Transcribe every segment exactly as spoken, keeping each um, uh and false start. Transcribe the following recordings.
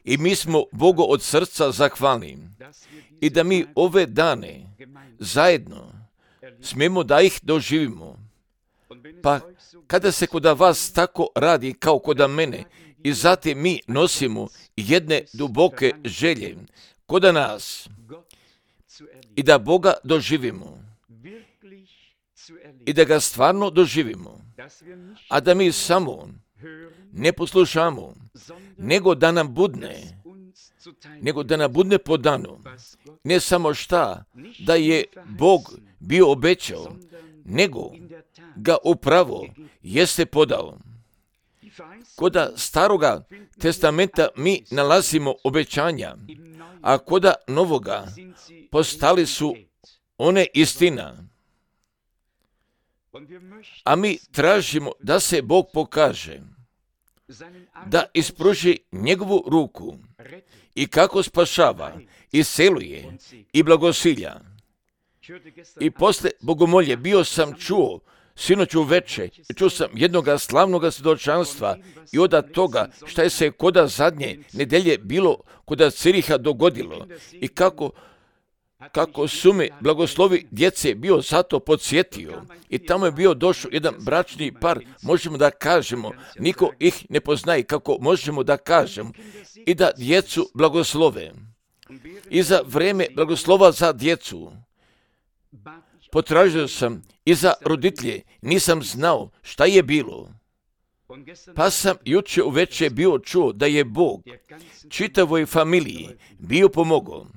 I mi smo Bogu od srca zahvalni i da mi ove dane zajedno smijemo da ih doživimo. Pa kada se kod vas tako radi kao kod mene i zatim mi nosimo jedne duboke želje kod nas i da Boga doživimo i da ga stvarno doživimo, a da mi samo ne poslušamo, nego da nam budne, nego da nam budne podano, ne samo šta da je Bog bio obećao, nego ga upravo jeste podao. Koda staroga testamenta mi nalazimo obećanja, a koda novoga postali su one istina. A mi tražimo da se Bog pokaže, da ispruži njegovu ruku i kako spašava, iseluje i blagosilja. I posle bogomolje bio sam čuo, sinoć uveče, čuo sam jednoga slavnoga svjedočanstva i od toga šta je se koda zadnje nedelje bilo koda Ciriha dogodilo i kako kako su me blagoslovi djece bio zato podsjetio i tamo je bio došao jedan bračni par, možemo da kažemo, niko ih ne poznaje, kako možemo da kažemo, i da djecu blagoslove. I za vreme blagoslova za djecu potražio sam i za roditelje, nisam znao šta je bilo. Pa sam juče uveče bio čuo da je Bog čitavoj familiji bio pomogao.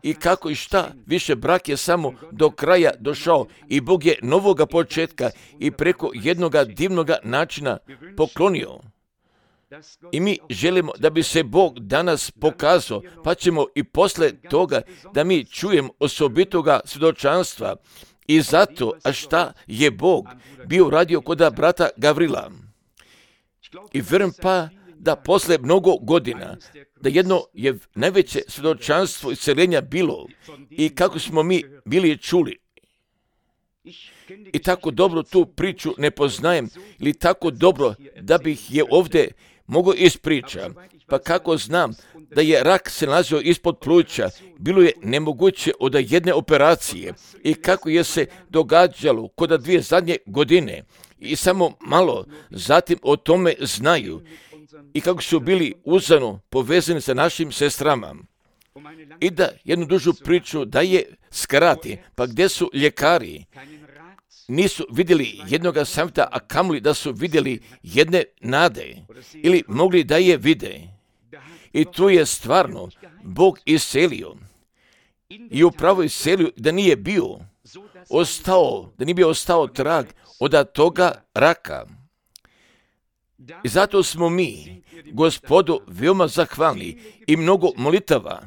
I kako i šta, više brak je samo do kraja došao i Bog je novoga početka i preko jednoga divnoga načina poklonio. I mi želimo da bi se Bog danas pokazao, pa ćemo i posle toga da mi čujemo osobitoga svjedočanstva i zato, a šta je Bog bio radio kod brata Gavrila. I vjerujem pa da posle mnogo godina, da jedno je najveće svjedočanstvo isceljenja bilo i kako smo mi bili čuli. I tako dobro tu priču ne poznajem ili tako dobro da bih je ovdje mogao ispričati. Pa kako znam da je rak se nalazio ispod pluća, bilo je nemoguće od jedne operacije i kako je se događalo kod dvije zadnje godine i samo malo zatim o tome znaju i kako su bili uzano povezani sa našim sestrama. I da jednu dužu priču da je skrati, pa gdje su ljekari, nisu vidjeli jednoga savjeta, a kamoli da su vidjeli jedne nade ili mogli da je vide. I tu je stvarno Bog iselio. I upravo iselio da nije bio ostao, da nije bio ostao trag od toga raka. I zato smo mi Gospodu veoma zahvalni i mnogo molitava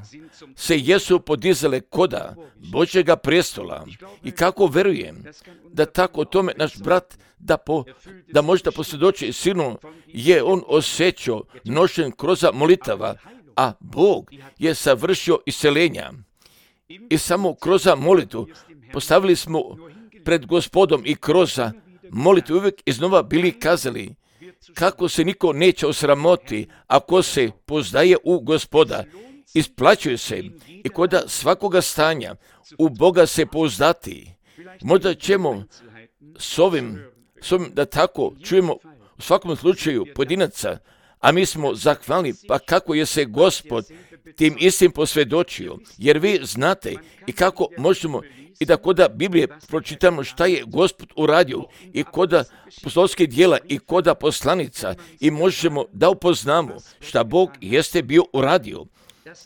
se jesu podizale koda Božjega prestola. I kako verujem da tako o tome naš brat da, po, da može da posvjedoči silno je on osjećao nošen kroz molitava, a Bog je savršio iseljenja. I samo kroz molitvu postavili smo pred Gospodom i kroz molitvu uvijek iznova bili kazali kako se niko neće osramoti ako se poznaje u Gospoda. Isplaćuje se i kod svakoga stanja u Boga se pouzdati. Možda ćemo s ovim, s ovim da tako čujemo u svakom slučaju pojedinaca, a mi smo zahvalni pa kako je se Gospod tim istim posvjedočio, jer vi znate i kako možemo i da koda Biblije pročitamo šta je Gospod uradio i koda apostolskih djela i koda poslanica i možemo da upoznamo šta Bog jeste bio uradio.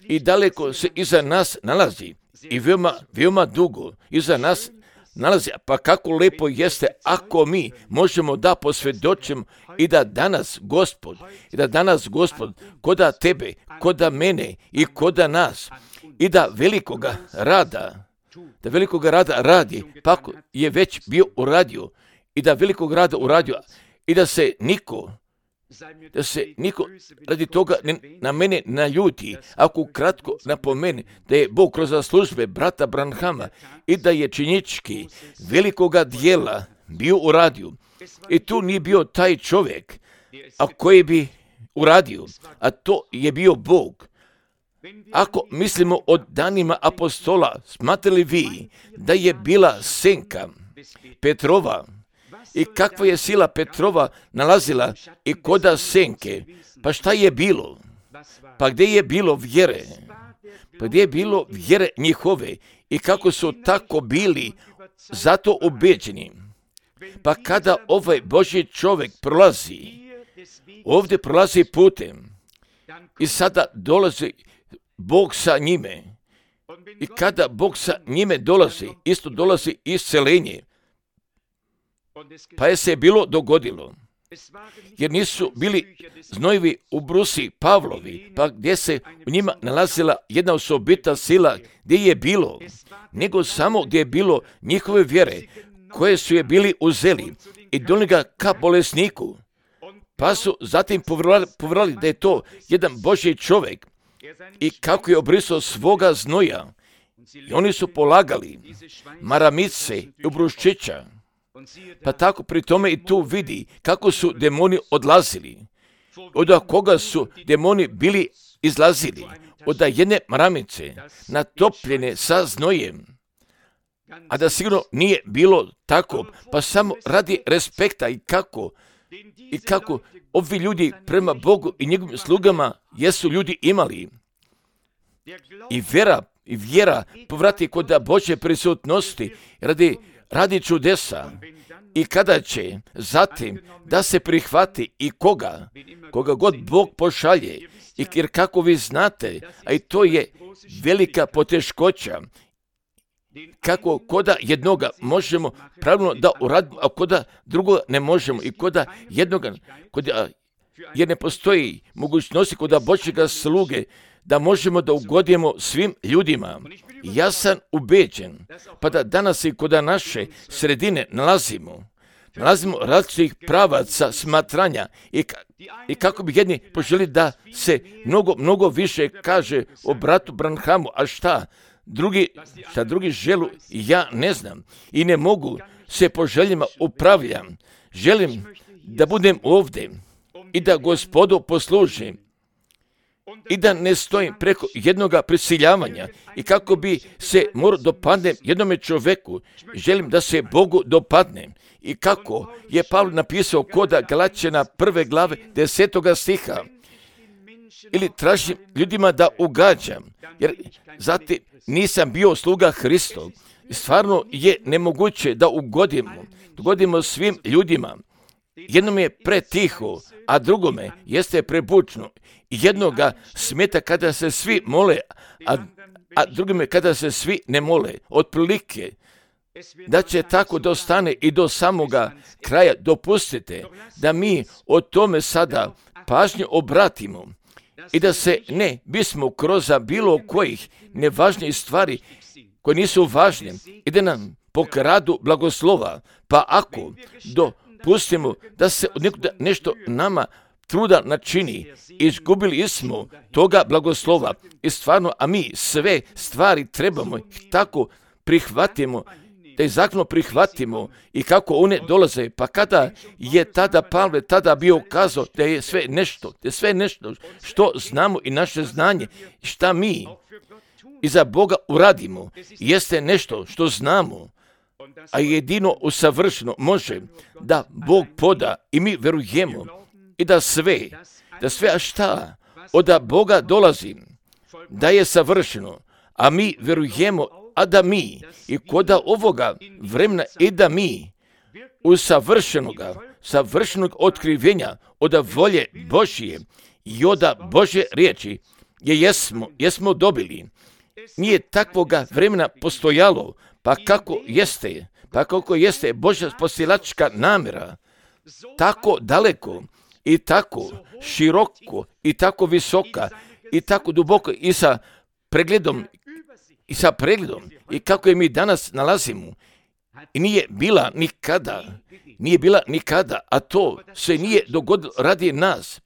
I daleko se iza nas nalazi i veoma, veoma dugo iza nas nalazi, pa kako lepo jeste ako mi možemo da posvjedočimo i da danas Gospod, i da danas Gospod koda tebe, koda mene i koda nas i da velikoga rada da velikog rada radi, pa je već bio uradio i da velikog rada uradio i da se niko, da se niko radi toga ne, na mene naljuti, ako kratko napomene da je Bog kroz službe brata Branhama i da je činjenički velikoga dijela bio uradio. I tu nije bio taj čovjek, a koji bi uradio, a to je bio Bog. Ako mislimo o danima apostola, smatrali vi da je bila senka Petrova i kakva je sila Petrova nalazila i koda senke? Pa šta je bilo? Pa gdje je bilo vjere? Pa gdje je bilo vjere njihove i kako su tako bili zato ubeđeni? Pa kada ovaj Božji čovjek prolazi, ovdje prolazi putem i sada dolazi Bog sa njime. I kada Bog sa njime dolazi, isto dolazi isceljenje. Pa je se bilo dogodilo. Jer nisu bili znojevi u brusi Pavlovi, pa gdje se u njima nalazila jedna osobita sila, gdje je bilo, nego samo gdje je bilo njihove vjere, koje su je bili uzeli i donijeli ga ka bolesniku. Pa su zatim povjerali da je to jedan Božji čovjek i kako je obrisao svoga znoja. I oni su polagali maramice i ubruščića. Pa tako pri tome i tu vidi kako su demoni odlazili. Od koga su demoni bili izlazili? Od jedne maramice natopljene sa znojem. A da sigurno nije bilo tako, pa samo radi respekta i kako, i kako ovi ljudi prema Bogu i njegovim slugama jesu ljudi imali. I vjera, i vjera povrati kod Božje prisutnosti radi, radi čudesa. I kada će zatim da se prihvati i koga, koga god Bog pošalje, i jer kako vi znate, a i to je velika poteškoća, kako koda jednoga možemo pravilno da uradimo, a koda drugoga ne možemo, i koda jednoga, koda, jer ne postoji mogućnosti koda Božjega sluge da možemo da ugodimo svim ljudima. Ja sam ubeđen, pa da danas i koda naše sredine nalazimo, nalazimo različitih pravaca smatranja i, i kako bi jedni poželi da se mnogo, mnogo više kaže o bratu Branhamu, a šta? Drugi, šta drugi želu, ja ne znam i ne mogu se po željama upravljam. Želim da budem ovdje i da Gospodu poslužim i da ne stojim preko jednoga prisiljavanja i kako bi se morao dopadnem jednome čovjeku, želim da se Bogu dopadnem. I kako je Pavle napisao koda Galaćana prve glave desetoga stiha, ili tražim ljudima da ugađam, jer zatim nisam bio sluga Hristov. Stvarno je nemoguće da ugodimo, ugodimo svim ljudima. Jednome je pretiho, a drugome jeste prebučno. Jednoga smeta kada se svi mole, a, a drugome kada se svi ne mole. Otprilike, da će tako da ostane i do samoga kraja. Dopustite da mi o tome sada pažnju obratimo i da se ne bismo kroz bilo kojih nevažnijih stvari koje nisu važne i da nam pokradu blagoslova. Pa ako dopustimo da se od nekuda nešto nama truda načini, izgubili smo toga blagoslova i stvarno, a mi sve stvari trebamo tako prihvatimo, da ih zakonu prihvatimo i kako one dolaze. Pa kada je tada Pavle tada bio kazao da je sve nešto, da je sve nešto što znamo i naše znanje, šta mi i za Boga uradimo, jeste nešto što znamo, a jedino usavršeno može da Bog poda i mi verujemo i da sve, da sve a šta od Boga dolazi, da je savršeno, a mi verujemo, a da mi i koda ovoga vremena i da mi u savršenoga, savršenog otkrivenja od volje Božje i od Božje riječi je jesmo, jesmo dobili. Nije takvoga vremena postojalo, pa kako jeste, pa kako jeste Božja spasilačka namjera, tako daleko i tako široko i tako visoka i tako duboko i sa pregledom i sa pregledom i kako je mi danas nalazimo i nije bila nikada, nije bila nikada, a to se nije dogodilo radi nas.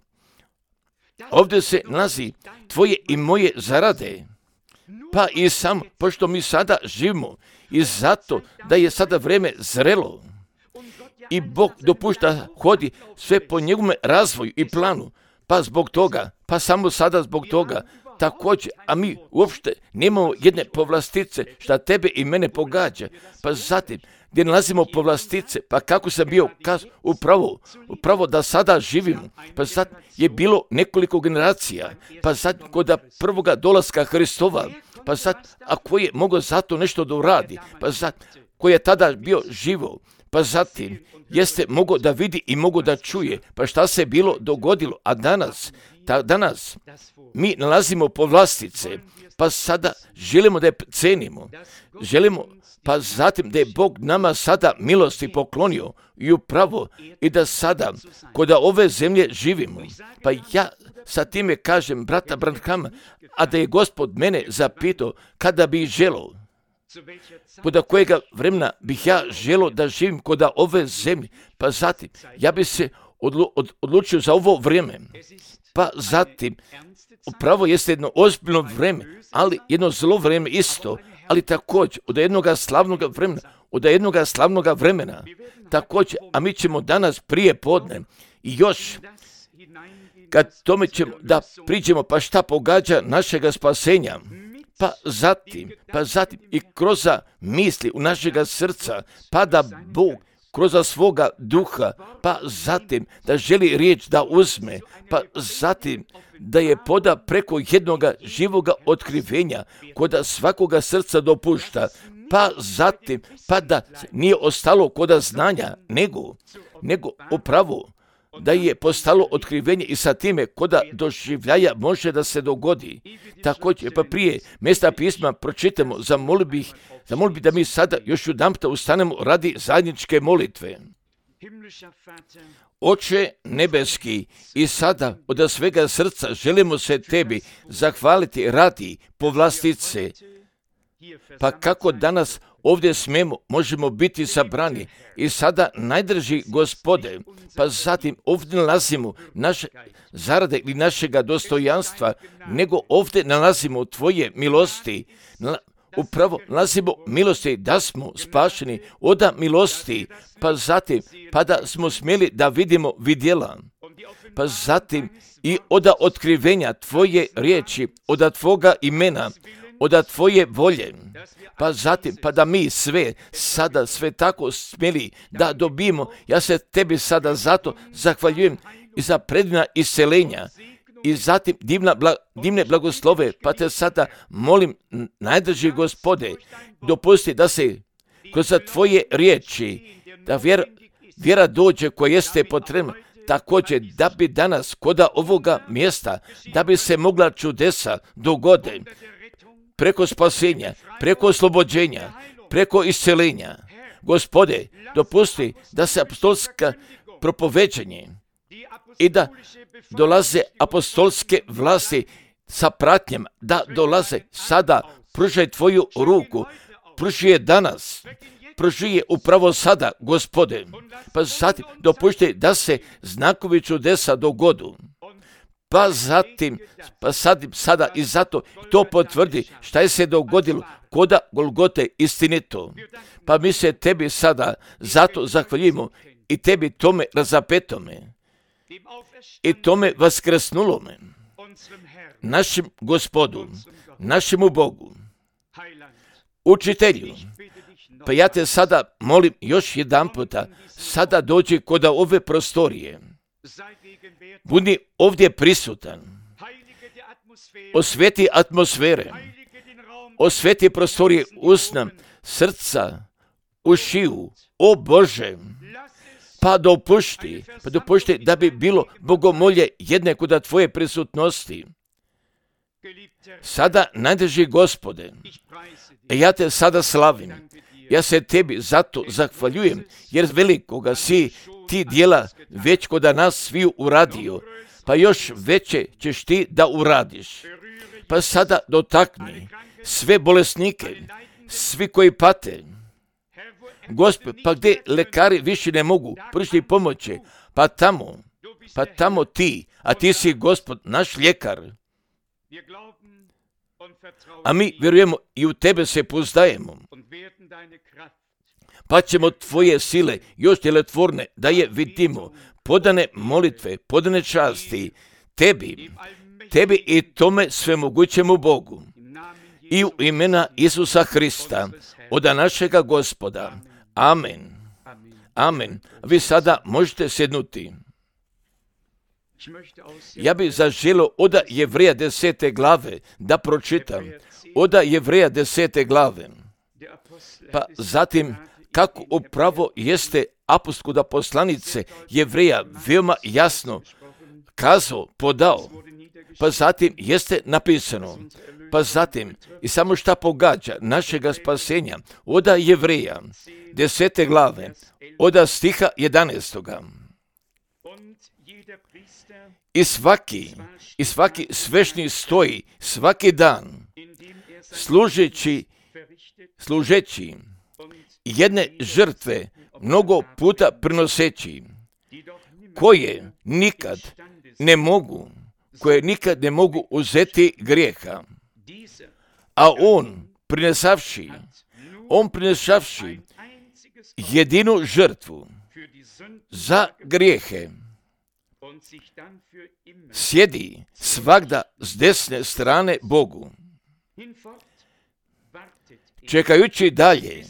Ovdje se nalazi tvoje i moje zarade, pa i sam, pošto mi sada živimo i zato da je sada vrijeme zrelo i Bog dopušta hodi sve po njegovom razvoju i planu, pa zbog toga, pa samo sada zbog toga, također, a mi uopšte nemamo jedne povlastice šta tebe i mene pogađa, pa zatim, gdje nalazimo povlastice, pa kako sam bio kaz, upravo, upravo da sada živimo, pa sad je bilo nekoliko generacija, pa sad kod prvoga dolaska Hristova, pa sad, a ko je mogao zato nešto da uradi, pa sad, ko je tada bio živo, pa zatim, jeste mogao da vidi i mogao da čuje, pa šta se bilo dogodilo, a danas, ta, danas, mi nalazimo povlastice, pa sada želimo da je cenimo, želimo, pa zatim da je Bog nama sada milosti poklonio i upravo i da sada kod ove zemlje živimo. Pa ja sa time kažem brata Branhama, a da je Gospod mene zapitao kada bi želeo, kod kojega vremena bih ja želio da živim kod ove zemlje, pa zatim ja bi se odlu, od, odlučio za ovo vrijeme. Pa zatim, upravo jeste jedno ozbiljno vrijeme, ali jedno zlo vrijeme isto, ali također od jednog slavnog vremena, od jednog slavnog vremena, također, a mi ćemo danas prije podne i još, kad tome ćemo da priđemo, pa šta pogađa našega spasenja, pa zatim, pa zatim i kroz misli u našega srca, pa da Bog kroz svoga duha, pa zatim da želi riječ da uzme, pa zatim da je poda preko jednoga živoga otkrivenja kod svakoga srca dopušta, pa zatim, pa da nije ostalo kod znanja, nego, nego upravo da je postalo otkrivenje i sa time kod doživljaja može da se dogodi. Također, pa prije mjesta pisma pročitamo, zamolio bih, zamolio bih da mi sada još jedanput ustanemo radi zajedničke molitve. Oče nebeski, i sada od svega srca želimo se tebi zahvaliti radi povlastice, pa kako danas ovdje smemo, možemo biti sabrani i sada najdrži Gospode, pa zatim ovdje nalazimo naše zarade ili našega dostojanstva, nego ovdje nalazimo tvoje milosti, upravo nalazimo milosti da smo spašeni od milosti, pa zatim pa da smo smjeli da vidimo vidjela, pa zatim i od otkrivenja tvoje riječi, od tvoga imena, od tvoje volje, pa zatim pa da mi sve sada sve tako smjeli da dobijemo. Ja se tebi sada zato zahvaljujem i za predivna iscelenja i zatim divna, bla, divne blagoslove, pa te sada molim, najdrži Gospode, dopusti da se kroz tvoje riječi, da vjera, vjera dođe koja jeste potrebna, također da bi danas kod ovoga mjesta, da bi se mogla čudesa dogode, preko spasenja, preko oslobođenja, preko iscelenja. Gospode, dopusti da se apostolska propoveđanje i da dolaze apostolske vlasti sa pratnjem, da dolaze sada, pružaj tvoju ruku, pruži je danas, pruži je upravo sada, Gospode, pa zatim dopušti da se znakovi čudesa dogodu. Pa zatim, pa sad, sada i zato to potvrdi šta je se dogodilo koda Golgote istinito. Pa mi se tebi sada zato zahvaljujemo i tebi tome razapetome i tome vaskrsnulome, našem Gospodu, našemu Bogu, učitelju. Pa ja te sada molim još jedan puta, sada dođi kod ove prostorije. Budi ovdje prisutan, osveti atmosfere, osveti prostorije usna, srca, ušiju, o Bože, pa dopušti, pa dopušti da bi bilo bogomolje jedne kod tvoje prisutnosti. Sada najdrži Gospode, ja te sada slavim, ja se tebi zato zahvaljujem, jer velikoga si ti dijela već kod nas svi uradio, pa još veće ćeš ti da uradiš. Pa sada dotakni sve bolesnike, svi koji pate. Gospod, pa gdje lekari više ne mogu pružiti pomoći, pa tamo, pa tamo ti, a ti si Gospod, naš ljekar. A mi vjerujemo i u tebe se pouzdajemo, pa ćemo tvoje sile još djelotvorne da je vidimo, podane molitve, podane časti, tebi, tebi i tome svemogućemu Bogu, i u imena Isusa Hrista, od našega Gospoda. Amen. Amen. Vi sada možete sjednuti. Ja bih zaželio od Jevreja desete glave da pročitam. Od Jevreja desete glave. Pa zatim, kako upravo jeste apostolska poslanice Jevreja veoma jasno kazao, podao, pa zatim jeste napisano, pa zatim i samo šta pogađa našega spasenja, od Jevreja desete glave, od stiha jedanaestoga. I svaki, i svaki svešnik stoji svaki dan, služeći, služeći jedne žrtve mnogo puta prinoseći, koje nikad ne mogu, koje nikad ne mogu uzeti grijeha. A on prinesavši, on prinesavši jedinu žrtvu za grijehe, sjedi svagda s desne strane Bogu, čekajući dalje,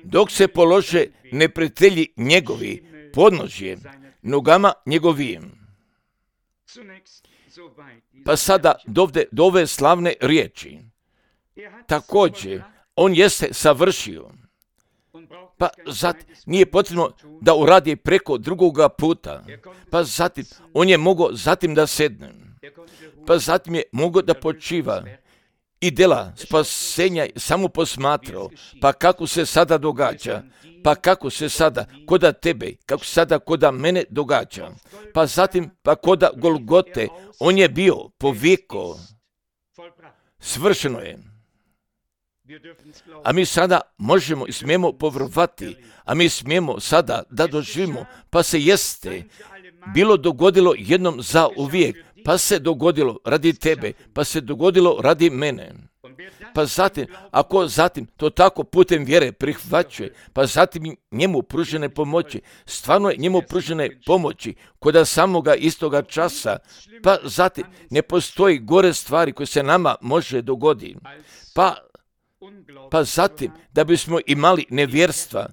dok se polože neprijatelji njegovi podnožje nogama njegovim. Pa sada dovde do ove slavne riječi. Također, on jeste savršio. Pa zatim, nije potrebno da uradi preko drugoga puta. Pa zatim, on je mogao zatim da sedne. Pa zatim je mogao da počiva i dela spasenja samo posmatrao. Pa kako se sada događa? Pa kako se sada koda tebe, kako se sada koda mene događa? Pa zatim, pa koda Golgote, on je bio povijeko. Svršeno je. A mi sada možemo i smijemo povjerovati, a mi smijemo sada da doživimo, pa se jeste bilo dogodilo jednom za uvijek, pa se dogodilo radi tebe, pa se dogodilo radi mene. Pa zatim, ako zatim to tako putem vjere prihvaćuje, pa zatim njemu pružene pomoći, stvarno je njemu pružene pomoći kod samoga istoga časa, pa zatim ne postoji gore stvari koje se nama može dogoditi. Pa Pa zatim, da bismo imali nevjerstva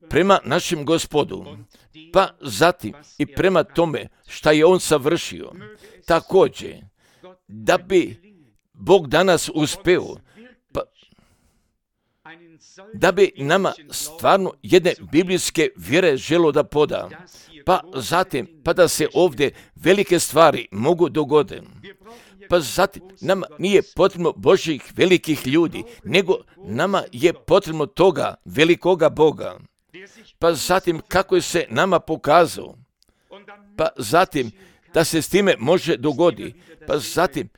prema našem Gospodu, pa zatim i prema tome šta je on savršio, također, da bi Bog danas uspeo, pa, da bi nama stvarno jedne biblijske vjere želo da poda, pa zatim, pa da se ovdje velike stvari mogu dogoditi. Pa zatim, nama nije potrebno Božjih velikih ljudi, nego nama je potrebno toga velikoga Boga. Pa zatim, kako je se nama pokazao, pa zatim, da se s time može dogoditi, pa zatim,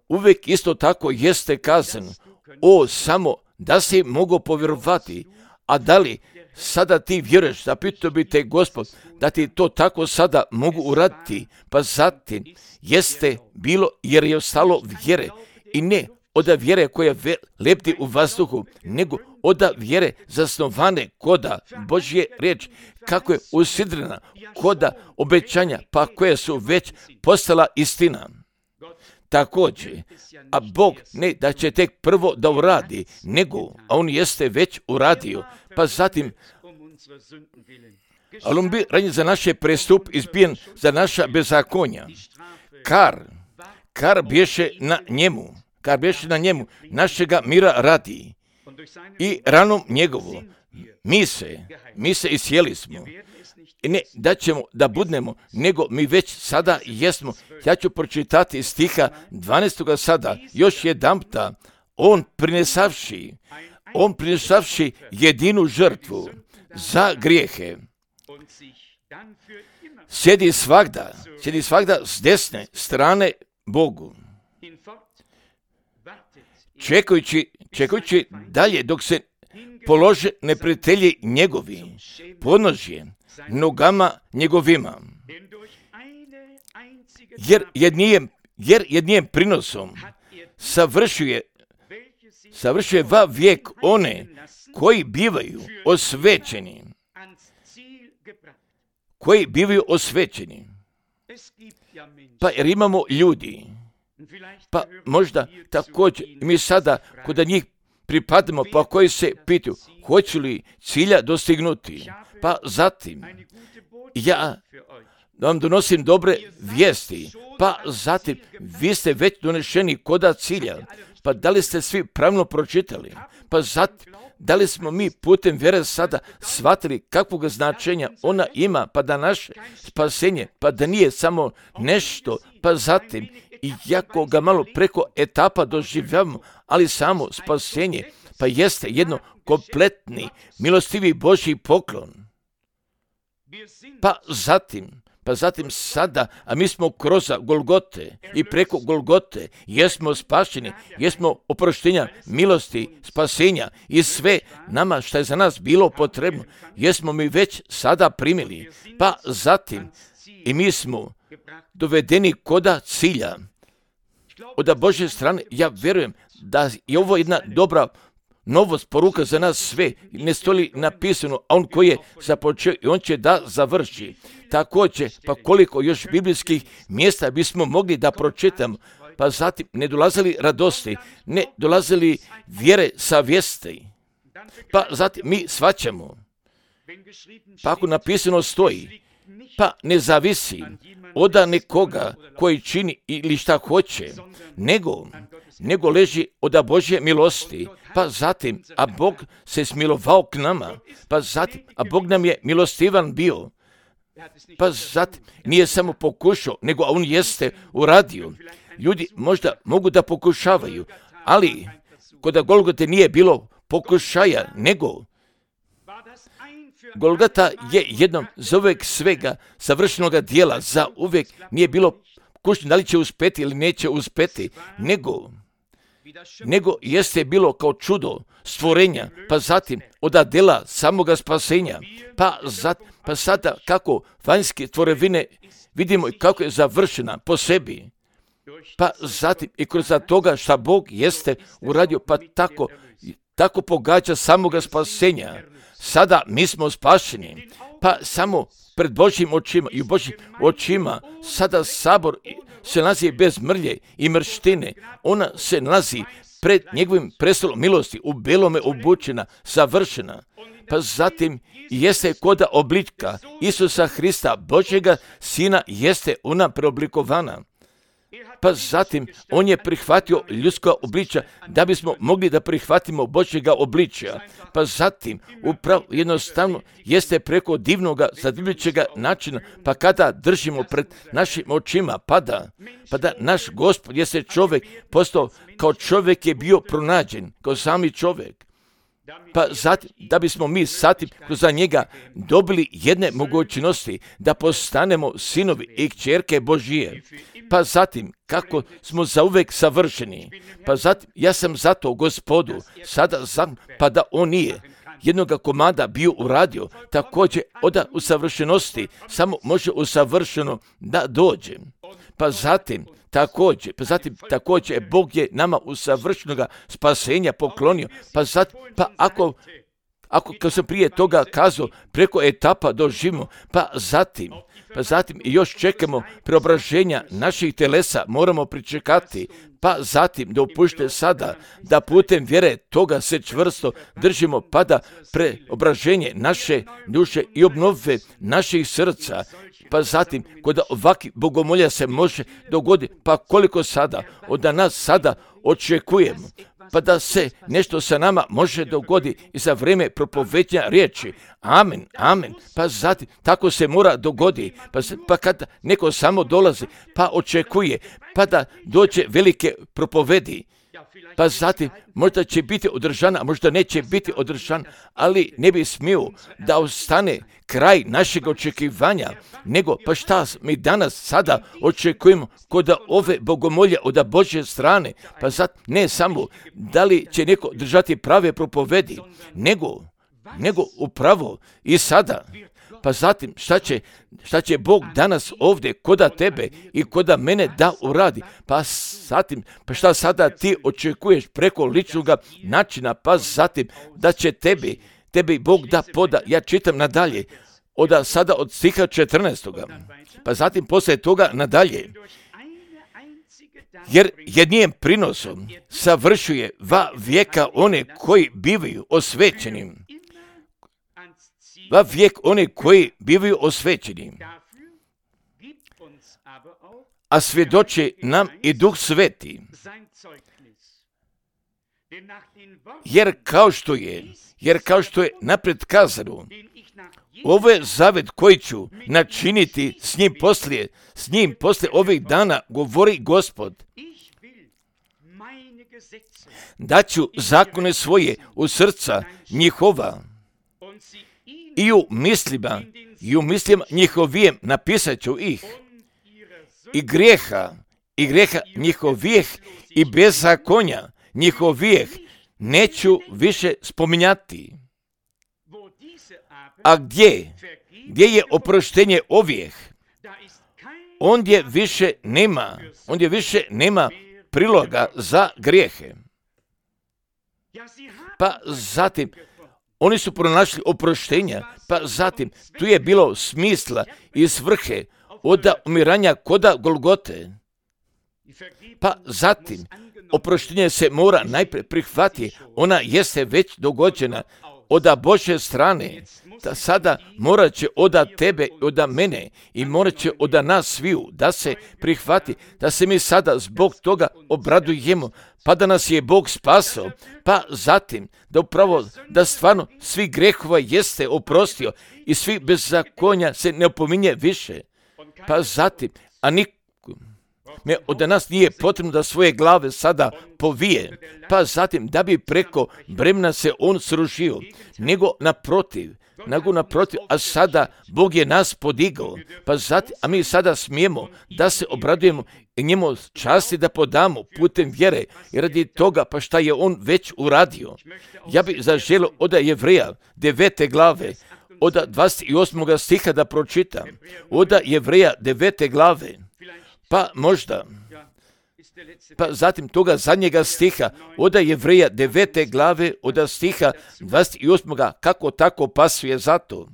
uvijek isto tako jeste kazano, o, samo da si mogu povjerovati, a da li sada ti vjeruješ, zapitao bi te Gospod, da ti to tako sada mogu uraditi, pa zatim jeste bilo jer je ostalo vjere i ne od vjere koja lebdi u vazduhu, nego od vjere zasnovane koda Božje riječ, kako je usidrena koda obećanja, pa koje su već postala istina. Također, a Bog ne da će tek prvo da uradi, nego, a on jeste već uradio, pa zatim, ali on bi ranjen za naše prestup izbijen za naša bezakonja. Kar, kar bješe na njemu, kar bješe na njemu, našega mira radi. I ranom njegovu, mi se, mi se isjeli smo. I ne da ćemo da budnemo, nego mi već sada jesmo. Ja ću pročitati stiha dvanaestoga sada, još jedanputa, on prinesavši, on prinesavši jedinu žrtvu za grijehe, sjedi svagda, sjedi svagda s desne strane Bogu, čekajući, čekajući dalje dok se polože neprijatelji njegovi, podnožje nogama njegovima. Jer jednijem, jer jednijem prinosom savršuje, savršuje va vijek one koji bivaju osvećeni, koji bivaju osvećeni. Pa jer imamo ljudi, pa možda također mi sada kod njih pripadamo, pa koji se pitaju hoće li cilja dostignuti. Pa zatim ja vam donosim dobre vijesti, pa zatim vi ste već donešeni koda cilja. Pa da li ste svi pravilno pročitali? Pa zatim, da li smo mi putem vjere sada shvatili kakvog značenja ona ima, pa da naše spasenje, pa da nije samo nešto, pa zatim, iako ga malo preko etapa doživljavamo, ali samo spasenje, pa jeste jedno kompletni, milostivi Božji poklon. Pa zatim, Pa zatim sada, a mi smo kroz Golgote i preko Golgote jesmo spašeni, jesmo oproštenja, milosti, spasenja i sve nama što je za nas bilo potrebno, jesmo mi već sada primili. Pa zatim i mi smo dovedeni koda cilja. Od Božje strane ja vjerujem da je ovo jedna dobra novost, poruka za nas sve, ne stoji napisano, a on koji je započeo i on će da završi. Također, pa koliko još biblijskih mjesta bismo mogli da pročitamo, pa zatim ne dolazili radosti, ne dolazili vjere savjesti, pa zatim mi shvaćamo, pa ako napisano stoji, pa ne zavisi od nekoga koji čini ili šta hoće, nego, nego leži od Božje milosti, pa zatim, a Bog se smilovao k nama, pa zatim, a Bog nam je milostivan bio, pa zatim nije samo pokušao, nego on jeste uradio. Ljudi možda mogu da pokušavaju, ali kod Golgote nije bilo pokušaja, nego Golgota je jednom za uvijek svega savršenoga dijela, za uvijek nije bilo kušnje da li će uspeti ili neće uspeti, nego nego jeste bilo kao čudo stvorenja, pa zatim od dela samoga spasenja, pa, zat, pa sada kako vanjske tvorevine vidimo i kako je završena po sebi, pa zatim i kroz toga šta Bog jeste uradio, pa tako, tako pogađa samoga spasenja. Sada mi smo spašeni, pa samo pred Božjim očima i u Božjim očima sada sabor se nalazi bez mrlje i mrštine. Ona se nalazi pred njegovim prestolom milosti, u belome obučena, savršena. Pa zatim jeste koda oblička Isusa Hrista, Božjega Sina, jeste ona preoblikovana. Pa zatim on je prihvatio ljudska obličja da bismo mogli da prihvatimo Božjega obličja. Pa zatim upravo jednostavno jeste preko divnoga zadivljujućega načina, pa kada držimo pred našim očima, pa da, pa da naš Gospod jeste čovjek postao kao čovjek je bio pronađen, kao sami čovjek. Pa zatim, da bismo mi zatim kroz njega dobili jedne mogućnosti da postanemo sinovi i kćerke Božije. Pa zatim, kako smo zauvek savršeni. Pa zatim, ja sam zato Gospodu, sada znam, pa da on nije jednoga komada bio uradio, također od usavršenosti samo može usavršeno da dođe. Pa zatim, također, pa zatim također Bog je nama usavršenoga spasenja poklonio, pa zatim, pa ako, ako kao sam prije toga kazao, preko etapa doživimo, pa zatim, pa zatim i još čekamo preobraženja naših telesa, moramo pričekati, pa zatim da upušte sada, da putem vjere toga se čvrsto držimo, pa da preobraženje naše duše i obnove naših srca, pa zatim kod ovakvih bogomolja se može dogoditi, pa koliko sada od nas sada očekujemo, pa da se nešto sa nama može dogoditi i za vrijeme propoveđenja riječi. Amen, amen. Pa zatim, tako se mora dogoditi. Pa, pa kada neko samo dolazi, pa očekuje, pa da dođe velike propovedi, pa zatim možda će biti održana, možda neće biti održana, ali ne bi smio da ostane kraj našeg očekivanja, nego pa šta mi danas sada očekujemo kod ove bogomolje od Božje strane, pa zatim ne samo da li će neko držati prave propovedi, nego, nego upravo i sada. Pa zatim šta će, šta će Bog danas ovdje koda tebe i koda mene da uradi. Pa zatim, pa šta sada ti očekuješ preko ličnog načina, pa zatim da će tebi, tebi Bog da poda. Ja čitam nadalje od sada od stiha četrnaestoga, pa zatim poslije toga nadalje. Jer jednim prinosom savršuje va vijeka one koji bivaju osvećeni. Va vijek one koji bivaju osvećeni. A svjedoči nam i Duh Sveti. Jer kao što je, jer kao što je naprijed kazano, ovo je zavet koji ću načiniti s njim poslije, s njim poslije ovih dana, govori Gospod. Daću zakone svoje u srca njihova i u mislima, i u mislima njihovijem napisat ću ih. I grijeha, i grijeha njihovijeh i bezakonja njihovijeh neću više spominjati. A gdje, gdje je oproštenje ovijeh, ondje više nema, ondje više nema priloga za grijehe. Pa zatim, oni su pronašli oproštenja, pa zatim, tu je bilo smisla i svrhe od umiranja koda Golgote. Pa zatim, oproštenje se mora najprije prihvatiti, ona jeste već dogođena od Božje strane, da sada morat će od tebe, od mene i morat će od nas sviju da se prihvati, da se mi sada zbog toga obradujemo, pa da nas je Bog spasao, pa zatim da upravo, da stvarno svi grehova jeste oprostio i svi bezakonja se ne opominje više, pa zatim, a niko me od nas nije potrebno da svoje glave sada povije, pa zatim da bi preko bremena se on srušio, nego naprotiv, nego naprotiv, a sada Bog je nas podigao, pa zatim, a mi sada smijemo da se obradujemo i njemu časti da podamo putem vjere i radi toga pa šta je on već uradio. Ja bih zaželio od Jevreja devete glave, od dvadeset osmog stiha da pročitam, od Jevreja devete glave, pa možda, pa zatim toga zadnjega stiha, od Jevreja devete glave, od stiha dvadeset osmog kako tako pasuje zato.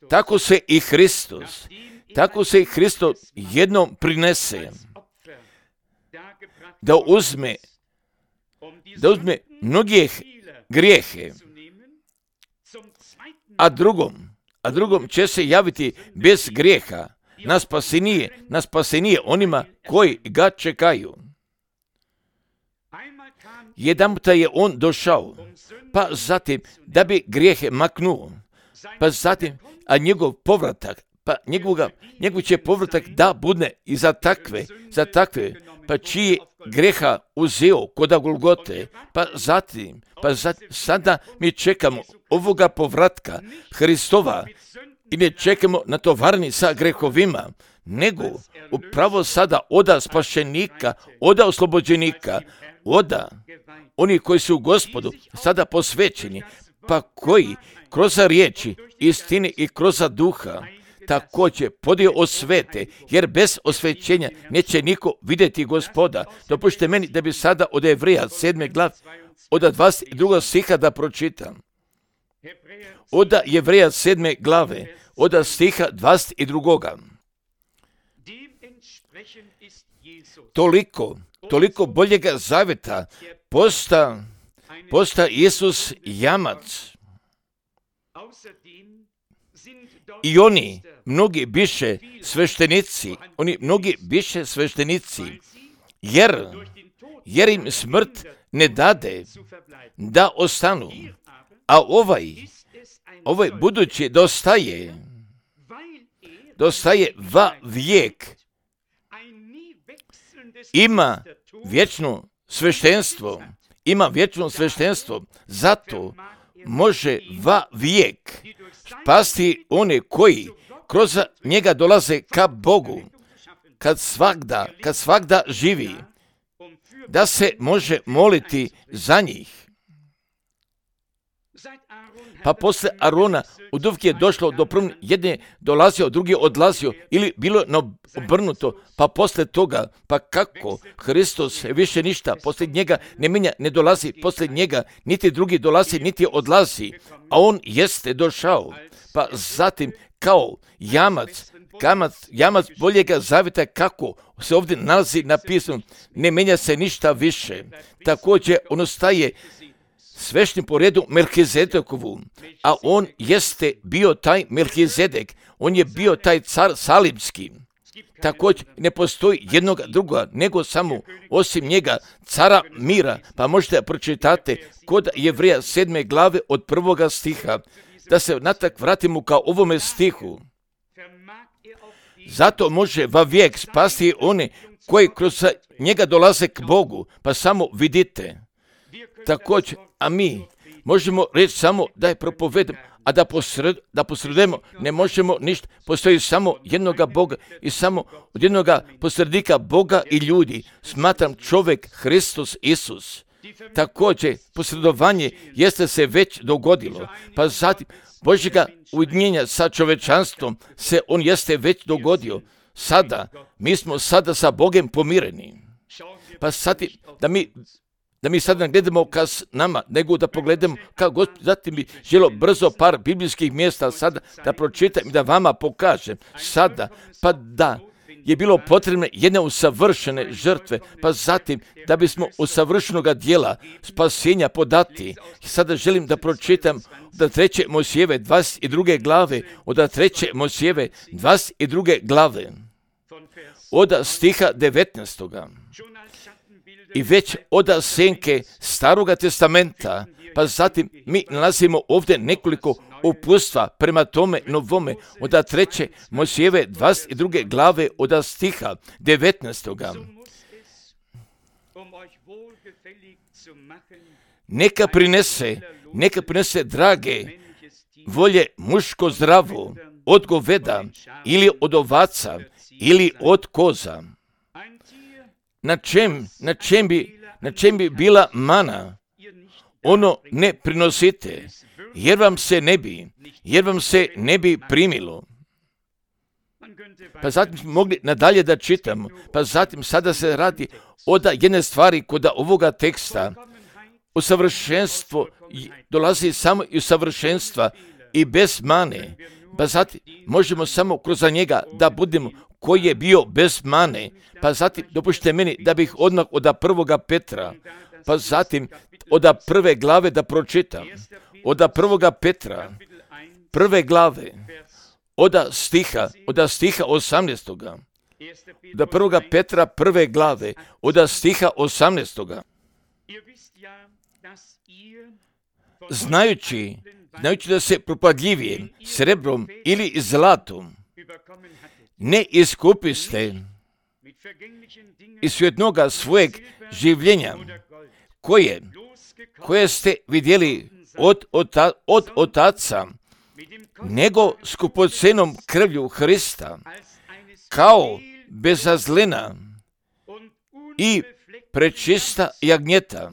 Tako se i Hristos, tako se i Hristos jednom prinese, da uzme, da uzme mnogih grijehe, a drugom, a drugom će se javiti bez grijeha, na spasenije, na spasenije onima koji ga čekaju. Jedanputa je on došao, pa zatim da bi grijehe maknuo, pa zatim, a njegov povratak, pa njegovoga, njegov će povratak da bude i za takve, za takve, pa čiji greha uzeo koda Golgote, pa zatim, pa zatim, sada mi čekamo ovoga povratka Hristova i ne čekamo na tovarni sa grehovima, nego upravo sada oda spašenika, oda oslobođenika, oda oni koji su u Gospodu sada posvećeni, pa koji kroz riječi, istine i kroz duha također podio osvete, jer bez osvećenja neće niko vidjeti Gospoda. Dopušte meni da bi sada od Jevreja sedme glav, od dvadeset drugog stiha da pročitam. Od Jevreja sedme glave, od stiha dvadeset drugog. Toliko, toliko boljega zaveta posta, posta Isus jamac. I oni, mnogi biše sveštenici, oni mnogi biše sveštenici, jer, jer im smrt ne dade da ostanu, a ovaj, ovaj budući dostaje, dostaje va vijek, ima vječno sveštenstvo, ima vječno sveštenstvo, zato može va vijek spasti one koji kroz njega dolaze ka Bogu, kad svagda, kad svagda živi, da se može moliti za njih. pa posle Arona od uvijek je došlo do promjene, jedne dolazio, drugi odlazio, ili bilo obrnuto, pa posle toga, pa kako Hristos više ništa, posle njega ne menja, ne dolazi, posle njega niti drugi dolazi, niti odlazi, a on jeste došao, pa zatim kao jamac, Jamac, jamac boljega zavjeta, kako se ovdje nalazi napisano, ne menja se ništa više. Također on ostaje svešnim po redu Melkizedekovu, a on jeste bio taj Melkizedek, on je bio taj car Salimski. Također ne postoji jednog druga, nego samo osim njega, cara mira, pa možete pročitate kod Jevreja sedme glave od prvoga stiha, da se natak vratimo kao ovome stihu. Zato može vavijek spasti one koji kroz njega dolaze k Bogu, pa samo vidite. Također, a mi možemo reći samo da je propovedamo, a da, posred, da posredujemo ne možemo ništa. Postoji samo jednoga Boga i samo od jednoga posrednika Boga i ljudi. Smatram čovjek Hristos Isus. Također, posredovanje jeste se već dogodilo, pa zatim Božjega ujedinjenja sa čovečanstvom se on jeste već dogodio. Sada, mi smo sada sa Bogom pomireni. Pa sad, da mi, da mi sada ne gledamo ka nama, nego da pogledamo kao Gospod. Zatim bi želo brzo par biblijskih mjesta sada da pročitam i da vama pokažem. Sada, pa da je bilo potrebne jedne usavršene žrtve, pa zatim da bismo usavršenoga dijela spasenja podati. Sada želim da pročitam od treće Mojsijeve dvadeset druge glave, od treće Mojsijeve dvadeset druge glave, od stiha devetnaestoga. I već od senke Staroga testamenta, pa zatim mi nalazimo ovdje nekoliko upustva prema tome novome, od treće Mojsijeve dvadeset druge glave, od stiha devetnaestoga. Neka prinese, neka prinese drage volje muško zdravo, od goveda ili od ovaca ili od koza. Na čem, na čem bi, na čem bi bila mana? Ono ne prinosite, jer vam se ne bi, jer vam se ne bi primilo. Pa zatim smo mogli nadalje da čitamo, pa zatim sada se radi od jedne stvari kod ovoga teksta. Usavršenstvo dolazi samo iz savršenstva i bez mane. Pa zatim možemo samo kroz njega da budemo koji je bio bez mane. Pa zatim dopušte meni da bih odmah od prvoga Petra, pa zatim od prve glave da pročitam. Od prvoga Petra, prve glave, od stiha, od stiha osamnaestoga. Od prvoga Petra, prve glave, od stiha osamnaestoga. Znajući, znajući da se propadljivije srebrom ili zlatom ne iskupiste iz svjetnoga svojeg življenja, koje, koje ste vidjeli od, ota, od otaca, nego skupocenom krvlju Hrista, kao bezazlena i prečista jagnjeta.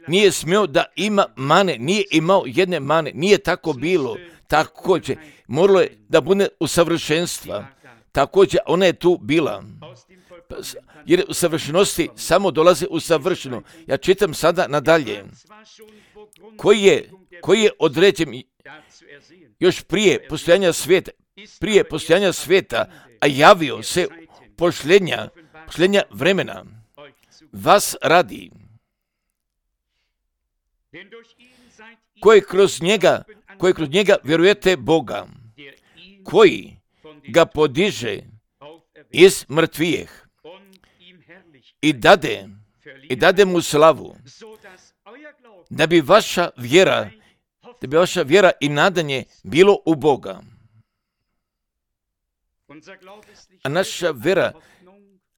Nije smio da ima mane, nije imao jedne mane, nije tako bilo. Također, moralo je da bude u savršenstva. Također, ona je tu bila. Jer u savršenosti samo dolaze u savršeno. Ja čitam sada nadalje. Koji je, koji je određen još prije postojanja svijeta, prije postojanja svijeta, a javio se posljednja, posljednja vremena. Vas radi, koji kroz njega, koji kroz njega vjerujete Boga, koji ga podiže iz mrtvijeh i dade, i dade mu slavu, da bi vaša vjera, da bi vaša vjera i nadanje bilo u Boga. A naša vjera,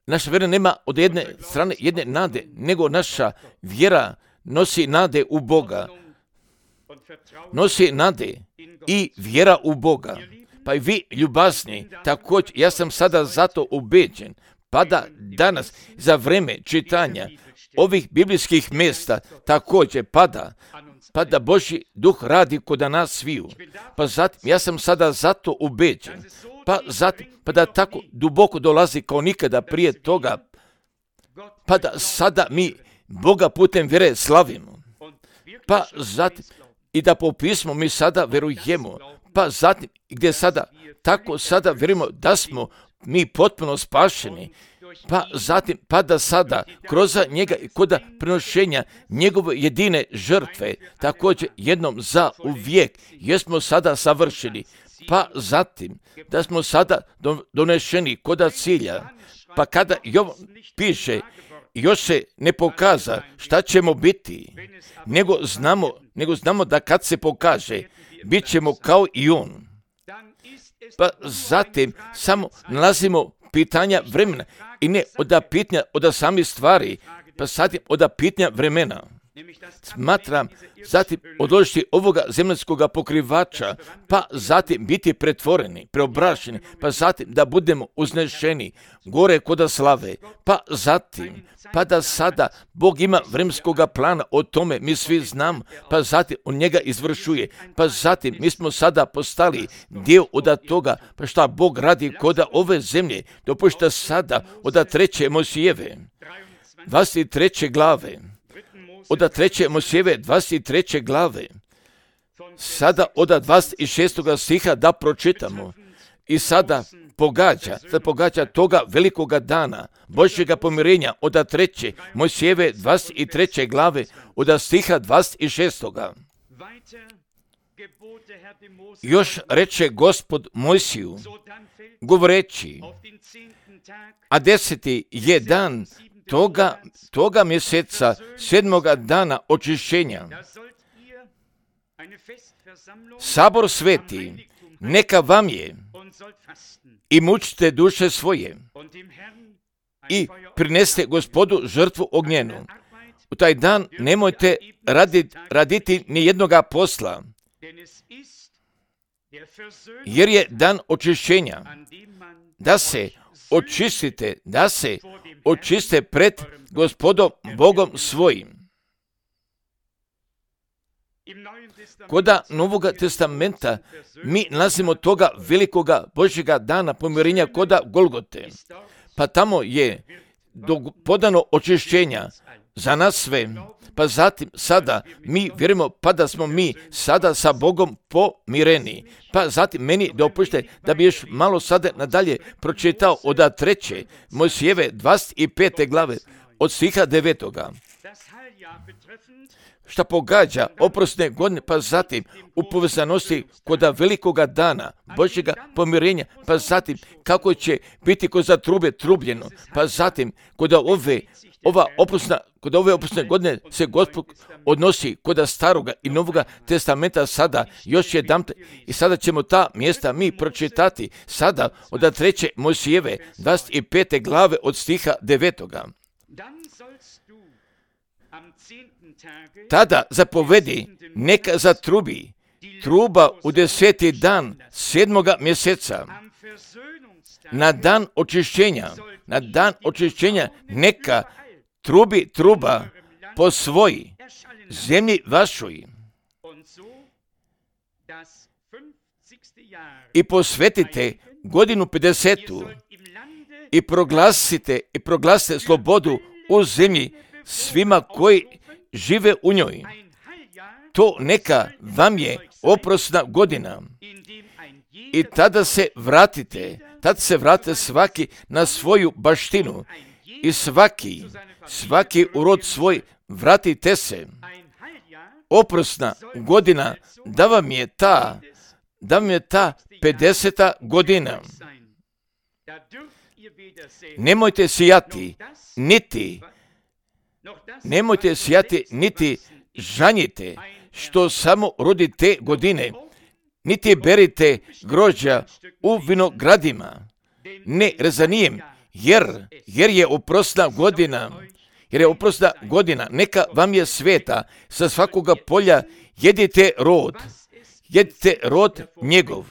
naša vjera nema od jedne strane jedne nade, nego naša vjera nosi nade u Boga. Nosi nade i vjera u Boga. Pa i vi, ljubazni, također, ja sam sada zato ubeđen, pa da danas za vreme čitanja ovih biblijskih mjesta također pada, pa da Božji duh radi kod nas sviju. Pa zatim, ja sam sada zato ubeđen, pa zatim, pa da tako duboko dolazi kao nikada prije toga, pa da sada mi Boga putem vjere slavimo. Pa zatim, i da po pismu mi sada verujemo, pa zatim, gdje sada, tako sada vjerujemo da smo mi potpuno spašeni, pa zatim, pa da sada, kroz njega i kod prenošenja njegove jedine žrtve, također jednom za uvijek, jesmo sada savršeni, pa zatim, da smo sada donešeni kod cilja, pa kada Jovan piše, još se ne pokaza šta ćemo biti, nego znamo, nego znamo da kad se pokaže, bit ćemo kao i on. Pa zatim samo nalazimo pitanja vremena i ne od pitanja od samih stvari, pa zatim od pitanja vremena. Smatram zatim odložiti ovoga zemaljskoga pokrivača, pa zatim biti pretvoreni, preobrašeni, pa zatim da budemo uznešeni gore kod slave, pa zatim, pa da sada Bog ima vremenskoga plana, o tome mi svi znamo, pa zatim on njega izvršuje, pa zatim mi smo sada postali dio od toga, pa šta Bog radi kod ove zemlje, dopušta sada od treće Mojsijeve, dvadeset treće glave, od treće Mojsijeve dvadeset treće glave, sada od dvadeset šestog stiha da pročitamo i sada pogađa, sada pogađa toga velikoga dana Božjega pomirenja od treće Mojsijeve dvadeset treće glave od stiha dvadeset šestog. Još reče Gospod Mojsiju, govoreći, a deseti je dan toga, toga mjeseca, sedmoga dana očišćenja. Sabor sveti, neka vam je, i mučite duše svoje, i prineste Gospodu žrtvu ognjenu. U taj dan nemojte raditi, raditi ni jednoga posla, jer je dan očišćenja, da se očistite, da se očiste pred Gospodom Bogom svojim. Koda Novoga testamenta mi nalazimo toga velikoga Božjega dana pomirenja koda Golgote, pa tamo je podano očišćenja za nas sve, pa zatim sada mi vjerujemo pa da smo mi sada sa Bogom pomireni. Pa zatim meni dopušte da bi još malo sada nadalje pročitao od treće Mojsijeve dvadeset pete glave od stiha devetoga. Šta pogađa oprosne godine, pa zatim u povezanosti kod velikoga dana Božjega pomirenja, pa zatim kako će biti kod trube trubljeno, pa zatim kod ove ova oprosna, kod ove oprosne godine se Gospod odnosi kod staroga i novoga testamenta sada još jedan, i sada ćemo ta mjesta mi pročitati sada od treće Mojsijeve dvadeset pete glave od stiha devetoga. Tada zapovedi, neka zatrubi truba u deseti dan sedmoga mjeseca, na dan očišćenja, na dan očišćenja neka trubi truba po svoji zemlji vašoj i posvetite godinu pedesetu i proglasite i proglasite slobodu u zemlji svima koji žive u njoj. To neka vam je oprosna godina. I tada se vratite, tada se vrate svaki na svoju baštinu i svaki, svaki u rod svoj vratite se. Oprosna godina da vam je ta, da vam je ta pedeseta godina. Nemojte sijati, niti Nemojte sijati, niti žanjite, što samo rodi te godine, niti berite grožđa u vinogradima, ne rezanijem, jer, jer je oprosna godina, jer je oprosna godina, neka vam je sveta, sa svakoga polja jedite rod, jedite rod njegov.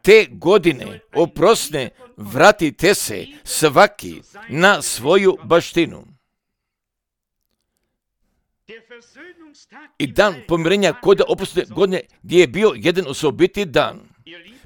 Te godine oprosne vratite se svaki na svoju baštinu. I dan pomirenja kod oproštenja godine gdje je bio jedan osobiti dan.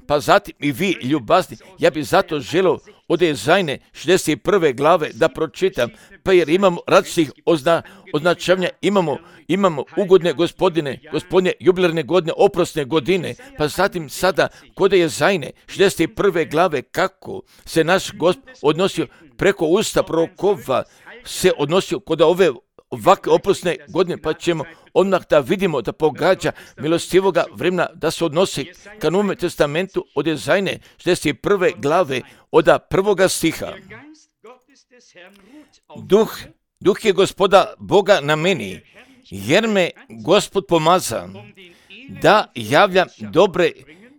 Pa zatim i vi, ljubazni, ja bih zato želio od Jezajne šezdeset prve glave da pročitam, pa jer imamo različitih ozna, označavanja, imamo, imamo ugodne gospodine, gospodine, jubilarne godine, oprosne godine, pa zatim sada kod Jezajne šezdeset prve glave kako se naš Gospod odnosio preko usta prorokova, se odnosio kod ove ovakve oprosne godine, pa ćemo odmah da vidimo da pogađa milostivoga vremena da se odnosi ka Novome testamentu od Jezajne šezdeset prve glave od prvoga stiha. Duh, duh je Gospoda Boga na meni, jer me Gospod pomaza da javljam dobre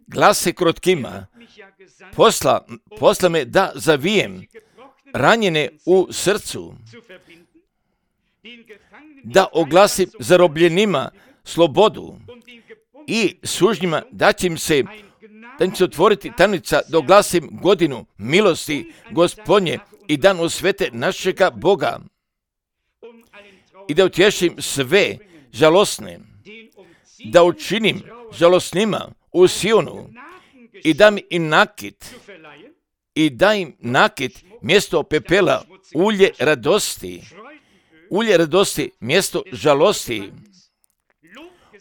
glase krotkima. Posla, posla me da zavijem ranjene u srcu, da oglasim zarobljenima slobodu i sužnjima da će im se, da im se otvoriti tamnica da oglasim godinu milosti Gospodnje i dan osvete našega Boga i da utješim sve žalosne, da učinim žalosnima u Sionu i dam im nakit i da im nakit mjesto pepela, ulje radosti, ulje radosti, mjesto žalosti,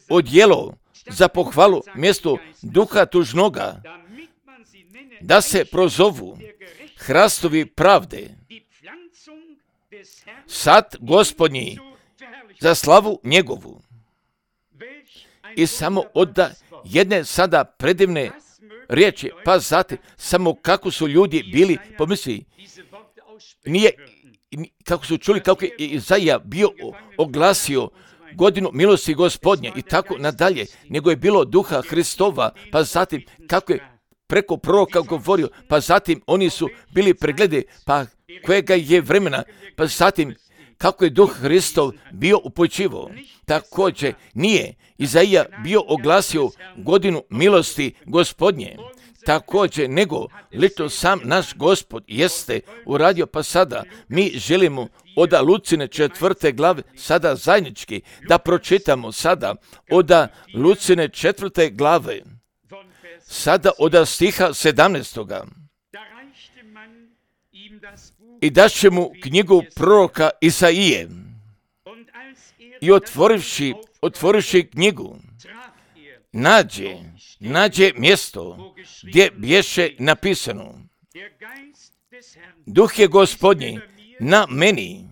odjelo za pohvalu, mjesto duha tužnoga, da se prozovu hrastovi pravde, sad Gospodnji za slavu njegovu. I samo od jedne sada predivne riječi, pa zatim samo kako su ljudi bili, pomisli, nije, kako su čuli kako je Izaija bio oglasio godinu milosti Gospodnje i tako nadalje, nego je bilo duha Hristova, pa zatim kako je preko proroka govorio, pa zatim oni su bili pregledi, pa kojega je vremena, pa zatim kako je duh Hristov bio upočivo. Također nije Izaija bio oglasio godinu milosti Gospodnje, također nego lično sam naš Gospod jeste uradio, pa sada mi želimo od Lucine četvrte glave sada zajednički da pročitamo sada od Lucine četvrte glave, sada od stiha sedamnaestoga. I daće mu knjigu proroka Isaije i otvorivši, otvorivši knjigu, nađe, nađe mjesto gdje bješe napisano: Duh je Gospodnji na meni,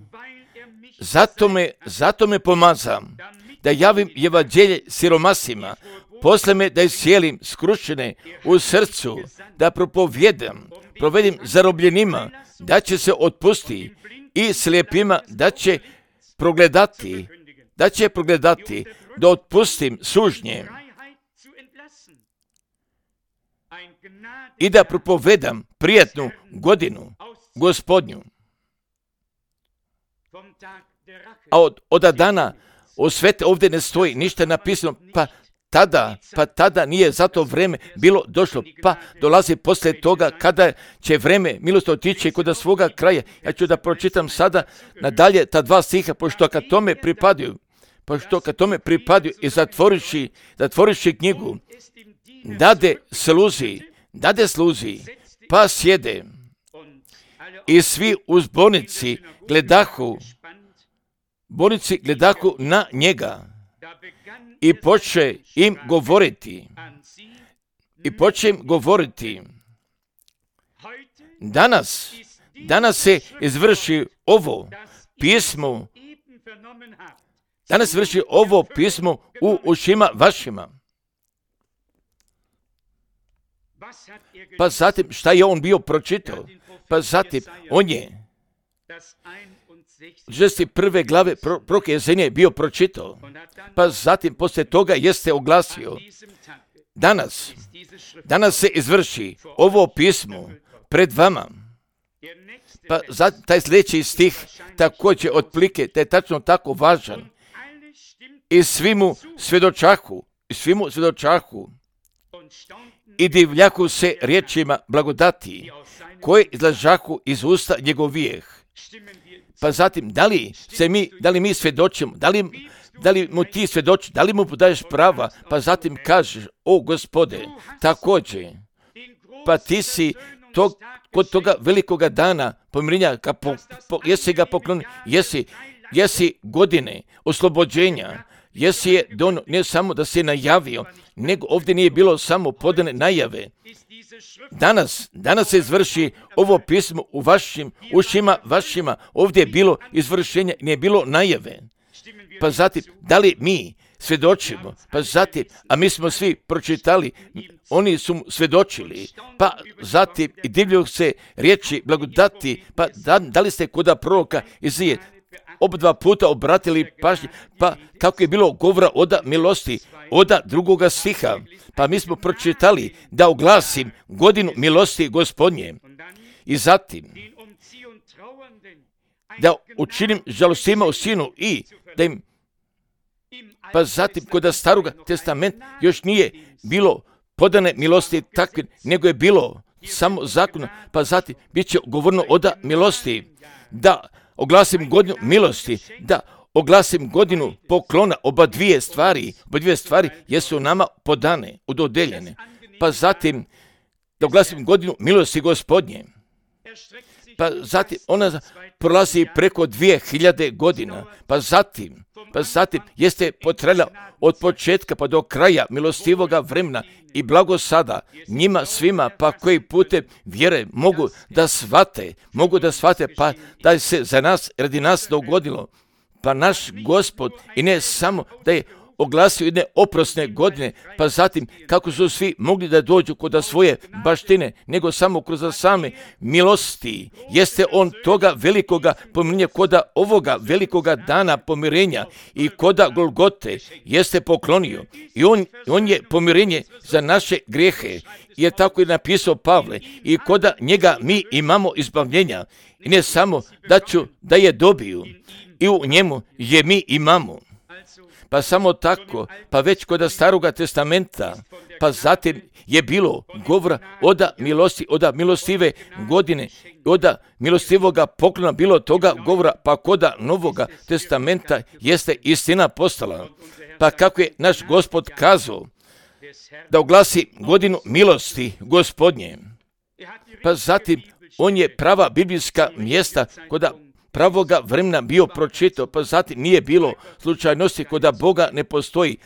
zato me, zato me pomazam da javim evanđelje siromasima, posle me da iscijelim skrušene u srcu, da propovijedam, provedim zarobljenima, da će se otpusti i slijepima da će progledati, da će progledati, da otpustim sužnje i da propovedam prijatnu godinu Gospodnju. A od, od dana osvete ovdje ne stoji ništa napisano, pa tada, pa tada nije za to vreme bilo došlo, pa dolazi poslije toga kada će vreme milosti otići kod svoga kraja. Ja ću da pročitam sada nadalje ta dva stiha, pošto kad tome pripadaju, pošto kad tome pripadaju i zatvoriši, zatvoriši knjigu, dade sluzi, dade sluzi, pa sjede i svi u zbornici gledahu, zbornici gledahu na njega. I poče im govoriti, i poče im govoriti, danas, danas se izvrši ovo pismo, danas se vrši ovo pismo u ušima vašima. Pa zatim, šta je on bio pročitao? Pa zatim, on je šezdeset prve glave proroka Jesenije bio pročitao, pa zatim poslije toga jeste oglasio, danas, danas se izvrši ovo pismo pred vama. Pa zatim taj sljedeći stih također otplike, da je tačno tako važan. I svi mu svjedočahu, i svi mu svjedočahu i divljaku se riječima blagodati koje izlažahu iz usta njegovijeh. Pa zatim, da li se mi, da li mi svjedočimo, da li, da li mu ti svjedoči, da li mu podaješ prava, pa zatim kažeš, o Gospode, također, pa ti si tog, kod toga velikoga dana pomirenja, po, po, jesi ga poklonio, jesi, jesi godine oslobođenja, jesi je dono, ne samo da si je najavio, nego ovdje nije bilo samo podane najave. Danas, danas se izvrši ovo pismo u vašim ušima, vašima, ovdje je bilo izvršenje, nije bilo najave. Pa zatim, da li mi svjedočimo, pa zatim, a mi smo svi pročitali, oni su svjedočili, pa zatim i divljuju se riječi blagodati, pa da, da li ste kod proroka Izije oba dva puta obratili pažnje, pa kako je bilo govora oda milosti, oda drugoga stiha, pa mi smo pročitali da oglasim godinu milosti Gospodnje i zatim da učinim žalostima u sinu i da im, pa zatim kod staroga testamenta još nije bilo podane milosti takve, nego je bilo samo zakon, pa zatim bit će govorno oda milosti, da oglasim godinu milosti, da oglasim godinu poklona, oba dvije stvari, oba dvije stvari jesu nama podane, udodeljene. Pa zatim da oglasim godinu milosti Gospodnje. Pa zatim ona prolazi preko dvije hiljade godina. Pa zatim, pa zatim jeste potrajala od početka pa do kraja milostivoga vremena i blago sada njima svima pa koji putem vjere mogu da shvate, mogu da shvate pa da se za nas, radi nas dogodilo. Pa naš Gospod i ne samo da je oglasio jedne oprosne godine, pa zatim kako su svi mogli da dođu kod svoje baštine, nego samo kroz same milosti. Jeste on toga velikoga pomirenja, kod ovoga velikoga dana pomirenja i kod Golgote jeste poklonio. I on, on je pomirenje za naše grijehe, jer tako je napisao Pavle, i kod njega mi imamo izbavljenja. I ne samo da ću da je dobiju, i u njemu je mi imamo. Pa samo tako, pa već kod staroga testamenta, pa zatim je bilo govora oda milosti, oda milostive godine, oda milostivoga poklona bilo toga govora, pa kod novoga testamenta jeste istina postala. Pa kako je naš Gospod kazao da oglasi godinu milosti Gospodnje, pa zatim on je prava biblijska mjesta kod pravoga vremena bio pročitao, pa zatim nije bilo slučajnosti, kod Boga ne postoji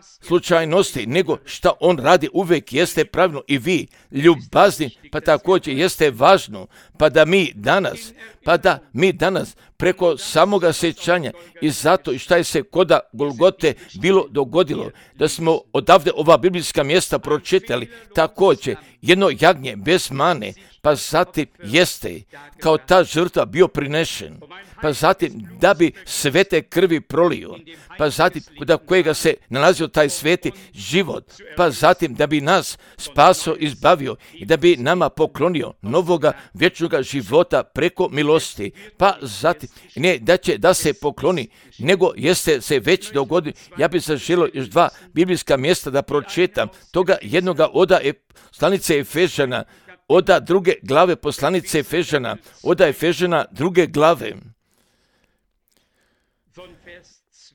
slučajnosti, nego šta on radi uvijek jeste pravilno i vi ljubazni, pa također jeste važno, pa da mi danas, pa da mi danas preko samoga sjećanja i zato i šta je se kod Golgote bilo dogodilo, da smo odavde ova biblijska mjesta pročitali, također jedno jagnje bez mane, pa zatim jeste kao ta žrtva bio prinešen, pa zatim da bi svete krvi prolio, pa zatim kod kojega se nalazio taj sveti život, pa zatim da bi nas spaso, izbavio i da bi nama poklonio novoga vječnoga života preko milosti, pa zatim ne da će da se pokloni, nego jeste se već dogodilo. Ja bih zaželio još dva biblijska mjesta da pročitam, toga jednoga oda je poslanice Efežana, oda druge glave poslanice Efežana, oda Efežana druge glave,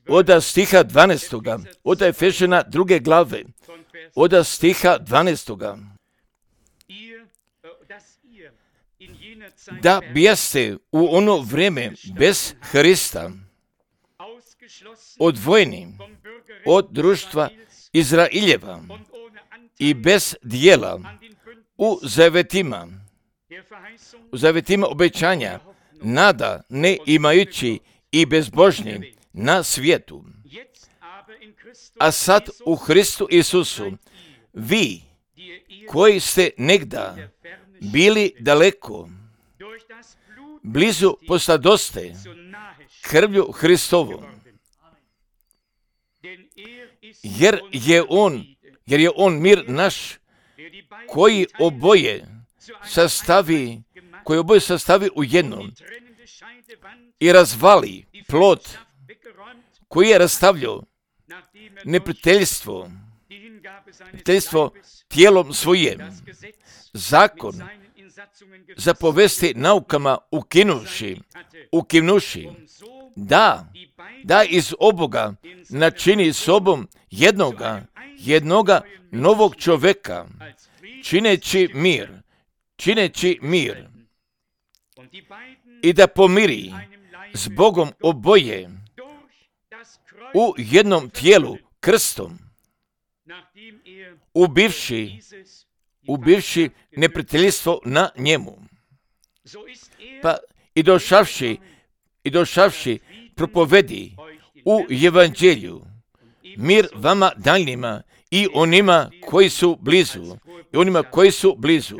oda stiha dvanaestoga, oda Efežana druge glave, oda stiha dvanaestoga. Da bijeste u ono vrijeme bez Hrista, odvojeni od društva Izraeljeva i bez dijela u zavetima, u zavetima obećanja, nada ne imajući i bezbožni na svijetu. A sad u Hristu Isusu, vi koji ste negda bili daleko, blizu postadoste krvlju Hristovom, jer je on, jer je on mir naš, koji oboje sastavi, koji oboje sastavi u jednom i razvali plot koji je rastavljao neprijateljstvo, neprijateljstvo tijelom svojim, zakon zapovesti naukama ukinuši, ukinuši, da, da iz oboga načini sobom jednoga, jednoga novog čoveka, čineći mir, čineći mir i da pomiri s Bogom oboje u jednom tijelu krstom, ubivši, ubivši neprijateljstvo na njemu. Pa i došavši, i došavši propovedi u evanđelju mir vama daljnjima i onima koji su blizu, i onima koji su blizu.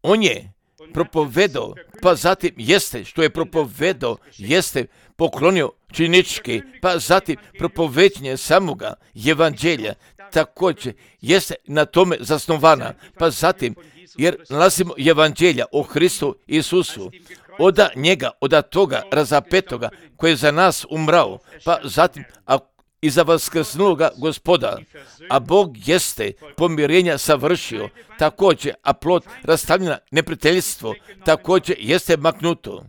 On je propovedao, pa zatim jeste, što je propovedao, jeste poklonio činički, pa zatim propoveđenje samoga evanđelja, također jeste na tome zasnovana, pa zatim, jer nalazimo evanđelja o Hristu Isusu, oda njega, oda toga razapetoga koji je za nas umrao, pa zatim a i za vaskrsnuloga Gospoda, a Bog jeste pomirenja savršio, također, a plod rastavljena neprijateljstvo, također jeste maknuto.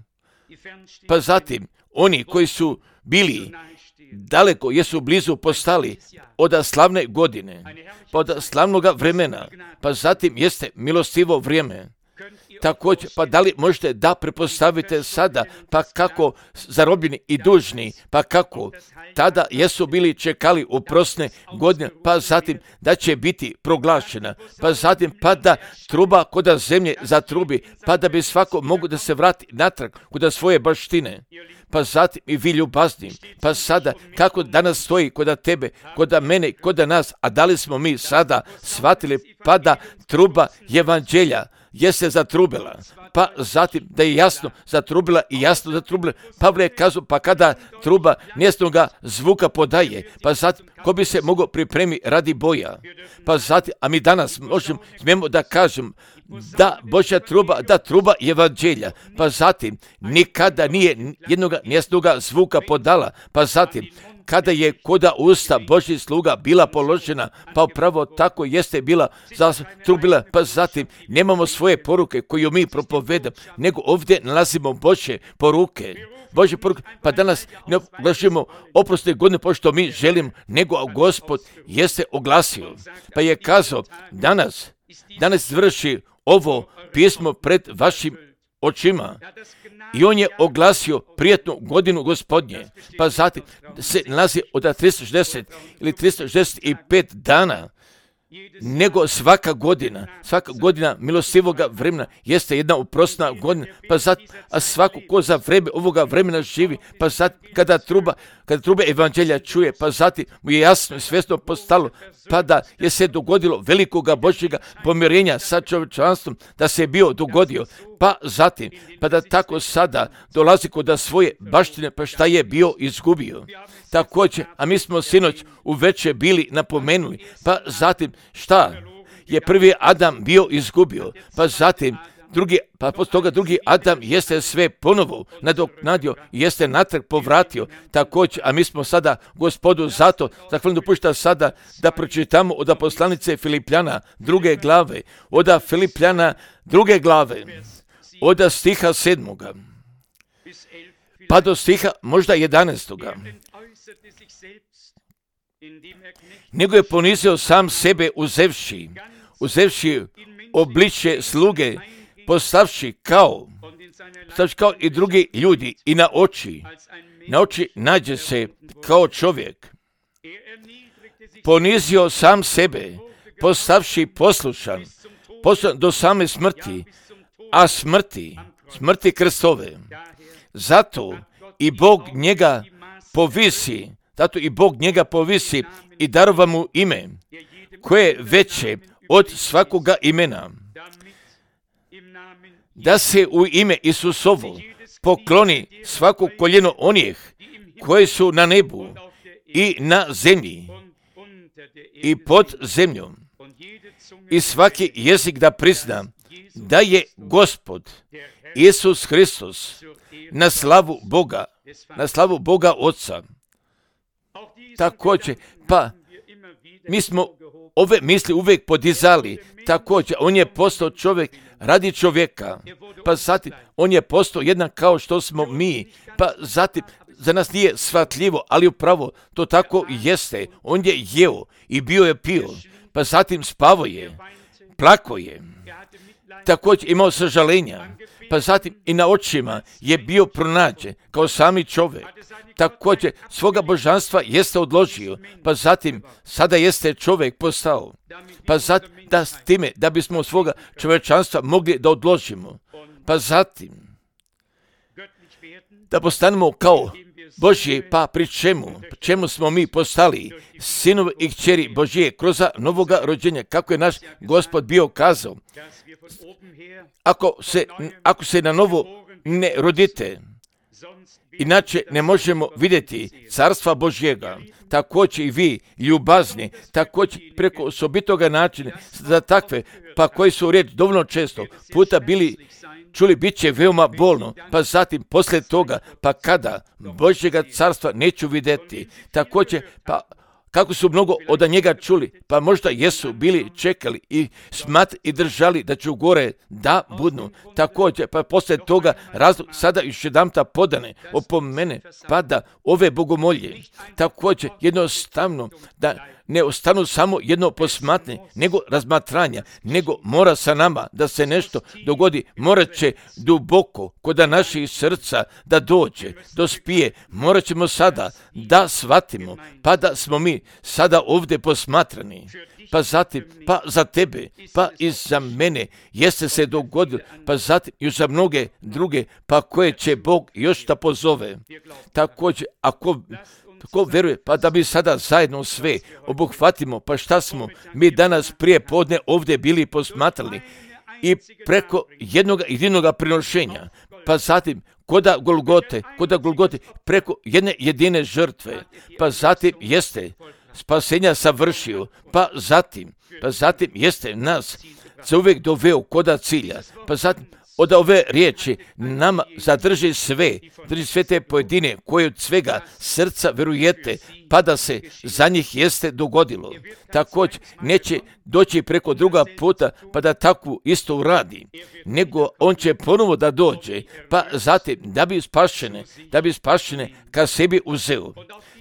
Pa zatim, oni koji su bili daleko, jesu blizu postali od slavne godine, pa od slavnoga vremena, pa zatim jeste milostivo vrijeme. Također, pa da li možete da prepostavite sada, pa kako zarobljeni i dužni, pa kako tada jesu bili čekali oprosne godine, pa zatim da će biti proglašena, pa zatim pa da truba koda zemlje zatrubi, pa da bi svako mogu da se vrati natrag koda svoje baštine. Pa zatim i vi ljubazni, pa sada kako danas stoji koda tebe, koda mene, koda nas, a da li smo mi sada shvatili pa da truba evanđelja jeste zatrubila, pa zatim da je jasno zatrubila i jasno zatrubila. Pavle je kazao, pa kada truba njesnoga zvuka podaje, pa zatim ko bi se mogao pripremiti radi boja, pa zatim, a mi danas možemo, smijemo da kažem, da Božja truba, da truba evanđelja, pa zatim nikada nije jednoga njesnoga zvuka podala, pa zatim kada je koda usta Božjih sluga bila položena, pa upravo tako jeste bila zatrubila, pa zatim nemamo svoje poruke koju mi propovedamo, nego ovdje nalazimo Božje poruke. Božje poruke, pa danas ne oglašujemo oprosne godine pošto mi želimo, nego Gospod jeste oglasio, pa je kazao, danas, danas vrši ovo pismo pred vašim očima. I on je oglasio prijetnu godinu Gospodnje, pa zatim se nalazi od tristo šezdeset ili tristo šezdeset pet dana, nego svaka godina, svaka godina milostivoga vremena jeste jedna oprosna godina, pa zatim, a svako ko za vreme ovoga vremena živi, pa zatim kada truba, kada trube evanđelja čuje, pa zatim mu je jasno i svjesno postalo, pa da je se dogodilo velikoga Božjega pomirenja sa čovječanstvom, da se je bio dogodio, pa zatim, pa da tako sada dolazi kod svoje baštine, pa šta je bio izgubio. Također, a mi smo sinoć uveče bili napomenuli, pa zatim šta je prvi Adam bio izgubio, pa zatim drugi, pa poslije toga drugi Adam jeste sve ponovo nadoknadio, jeste natrag povratio, također, a mi smo sada Gospodu zato, zahvalno dopušta sada da pročitamo od poslanice Filipljana druge glave, od Filipljana druge glave, od stiha sedmoga, pa do stiha možda jedanaestoga. Nego je ponizio sam sebe uzevši, uzevši obličje sluge, postavši kao, postavši kao i drugi ljudi i na oči, na oči nađe se kao čovjek. Ponizio sam sebe, postavši poslušan, poslušan do same smrti, a smrti, smrti krstove. Zato i Bog njega povisi, zato i Bog njega povisi i darova mu ime, koje je veće od svakoga imena, da se u ime Isusovo pokloni svako koljeno onih koji su na nebu i na zemlji i pod zemljom, i svaki jezik da prizna da je Gospod Isus Hristos na slavu Boga, na slavu Boga Oca. Također, pa mi smo ove misli uvijek podizali. Također, on je postao čovjek radi čovjeka. Pa zatim, on je postao jednak kao što smo mi. Pa zatim, za nas nije shvatljivo, ali upravo to tako i jeste. On je jeo i bio je pio. Pa zatim spavao je, plakao je. Također imao sažalenja. Pa zatim i na očima je bio pronađen kao sami čovjek. Također svoga božanstva jeste odložio. Pa zatim sada jeste čovjek postao. Pa zatim da s time da bismo svoga čovječanstva mogli da odložimo. Pa zatim da postanemo kao Božji, pa pri čemu? Čemu smo mi postali sinovi i kćeri Božje kroz novoga rođenja, kako je naš Gospod bio kazao. Ako se, ako se na novo ne rodite, inače ne možemo vidjeti carstva Božjega. Također i vi, ljubazni, također preko osobitoga načina za takve, pa koji su riječ dovoljno često puta bili čuli, bit će veoma bolno, pa zatim poslije toga, pa kada Božjega carstva neću vidjeti. Također, pa kako su mnogo od njega čuli, pa možda jesu bili čekali i smat i držali da ću gore da budnu. Također, pa poslije toga razlog sada još jedanputa podane opomene, pa da ove bogomolje. Također, jednostavno da ne ostanu samo jedno posmatranje, nego razmatranja, nego mora sa nama da se nešto dogodi, morat će duboko kod naših srca da dođe, dospije, morat ćemo sada da shvatimo, pa da smo mi sada ovdje posmatrani. Pa zatim, pa za tebe, pa i za mene jeste se dogodilo, pa zatim i za mnoge druge, pa koje će Bog još da pozove. Također, ako Tko veruje, pa da bi sada zajedno sve obuhvatimo, pa šta smo mi danas prije podne ovdje bili posmatrali i preko jednog jedinog prinošenja, pa zatim koda Golgote, koda Golgote, preko jedne jedine žrtve, pa zatim jeste spasenja savršio, pa zatim, pa zatim jeste nas za uvijek doveo koda cilja, pa zatim od ove riječi nama zadrži sve, drži sve te pojedine koje od svega srca verujete, pa da se za njih jeste dogodilo. Također neće doći preko druga puta pa da takvu isto uradi, nego on će ponovo da dođe, pa zatim da bi spašene, da bi spašene ka sebi uzeo.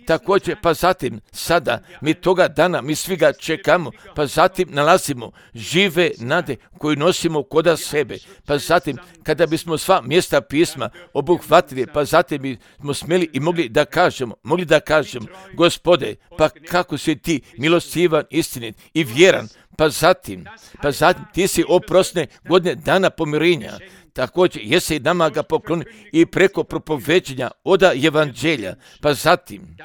Također, pa zatim, sada, mi toga dana, mi svi ga čekamo, pa zatim nalazimo žive nade koju nosimo koda sebe, pa zatim, kada bismo sva mjesta pisma obuhvatili, pa zatim bismo smjeli i mogli da kažemo, mogli da kažemo, Gospode, pa kako si ti milostivan, istinit i vjeran, pa zatim, pa zatim ti si oprosne godine dana pomirenja. Također, jesi nama ga pokloni i preko propoveđenja oda evanđelja, pa zatim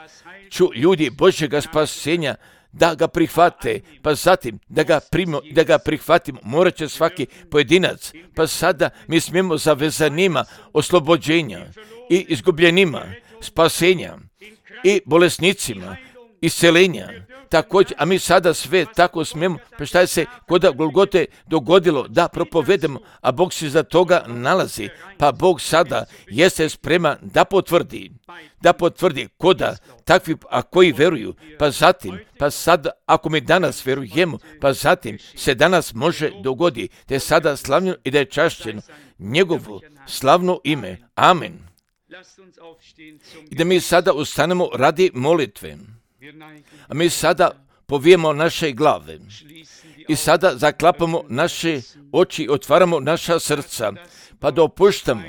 ću ljudi Božjega spasenja da ga prihvate, pa zatim da ga primimo, da ga prihvatimo, morat će svaki pojedinac, pa sada mi smijemo za vezanima oslobođenja i izgubljenima spasenja i bolesnicima iscelenja. Također, a mi sada sve tako smijemo, pa šta je se koda Golgote dogodilo da propovedemo, a Bog se za toga nalazi, pa Bog sada jeste spreman da potvrdi, da potvrdi koda takvi, a koji veruju, pa zatim, pa sada, ako mi danas verujemo, pa zatim se danas može dogodi, da je sada slavljeno i da je čašćeno njegovo slavno ime. Amen. I da mi sada ustanemo radi molitve. A mi sada povijemo naše glave i sada zaklapamo naše oči, otvaramo naša srca, pa da opuštamo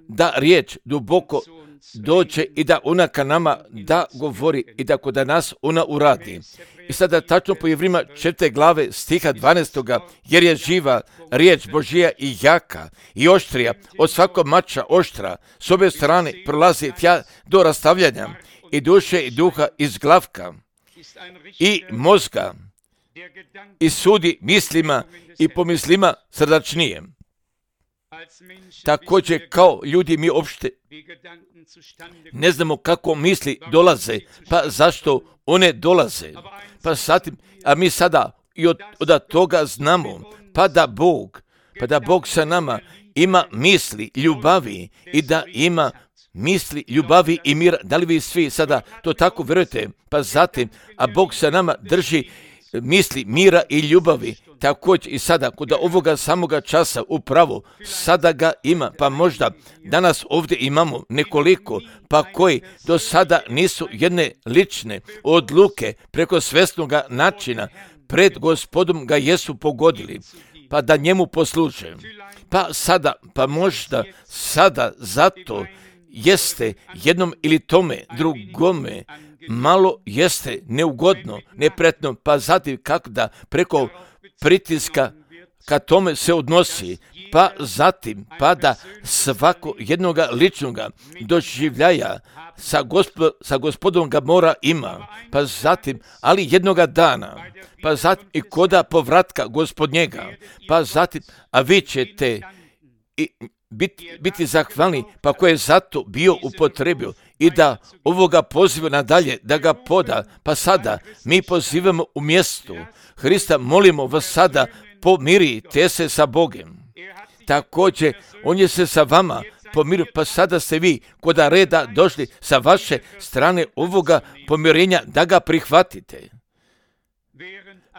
da riječ duboko dođe i da ona ka nama da govori i da kod nas ona uradi. I sada tačno po Jevrima četvrte glave stiha dvanaestoga, jer je živa riječ Božija i jaka i oštrija od svakog mača oštra, s obje strane prolazi tja do rastavljanja i duše i duha iz glavka i mozga i sudi mislima i pomislima srdačnije. Također kao ljudi mi opšte ne znamo kako misli dolaze, pa zašto one dolaze. Pa zatim, a mi sada i od, od toga znamo, pa da Bog, pa da Bog sa nama ima misli, ljubavi i da ima misli, ljubavi i mira. Da li vi svi sada to tako vjerujete? Pa zatim, a Bog sa nama drži misli, mira i ljubavi. Također i sada, kod ovoga samoga časa, upravo, sada ga ima, pa možda danas ovdje imamo nekoliko, pa koji do sada nisu jedne lične odluke preko svjesnoga načina pred Gospodom ga jesu pogodili, pa da njemu posluže. Pa sada, pa možda sada zato jeste jednom ili tome drugome malo jeste neugodno, nepretno, pa zatim kako da preko pritiska ka tome se odnosi, pa zatim pa da svako jednoga ličnoga doživljaja sa, gospod, sa gospodom ga mora ima, pa zatim, ali jednoga dana, pa zatim i koda povratka gospodnjega, pa zatim, a vi ćete i biti, biti zahvalni, pa ko je zato bio upotrebio i da ovoga poziva nadalje, da ga poda, pa sada mi pozivamo u mjestu Hrista, molimo vas sada, pomirite se sa Bogom. Također, on je se sa vama pomirio, pa sada ste vi koda reda došli sa vaše strane ovoga pomirenja da ga prihvatite.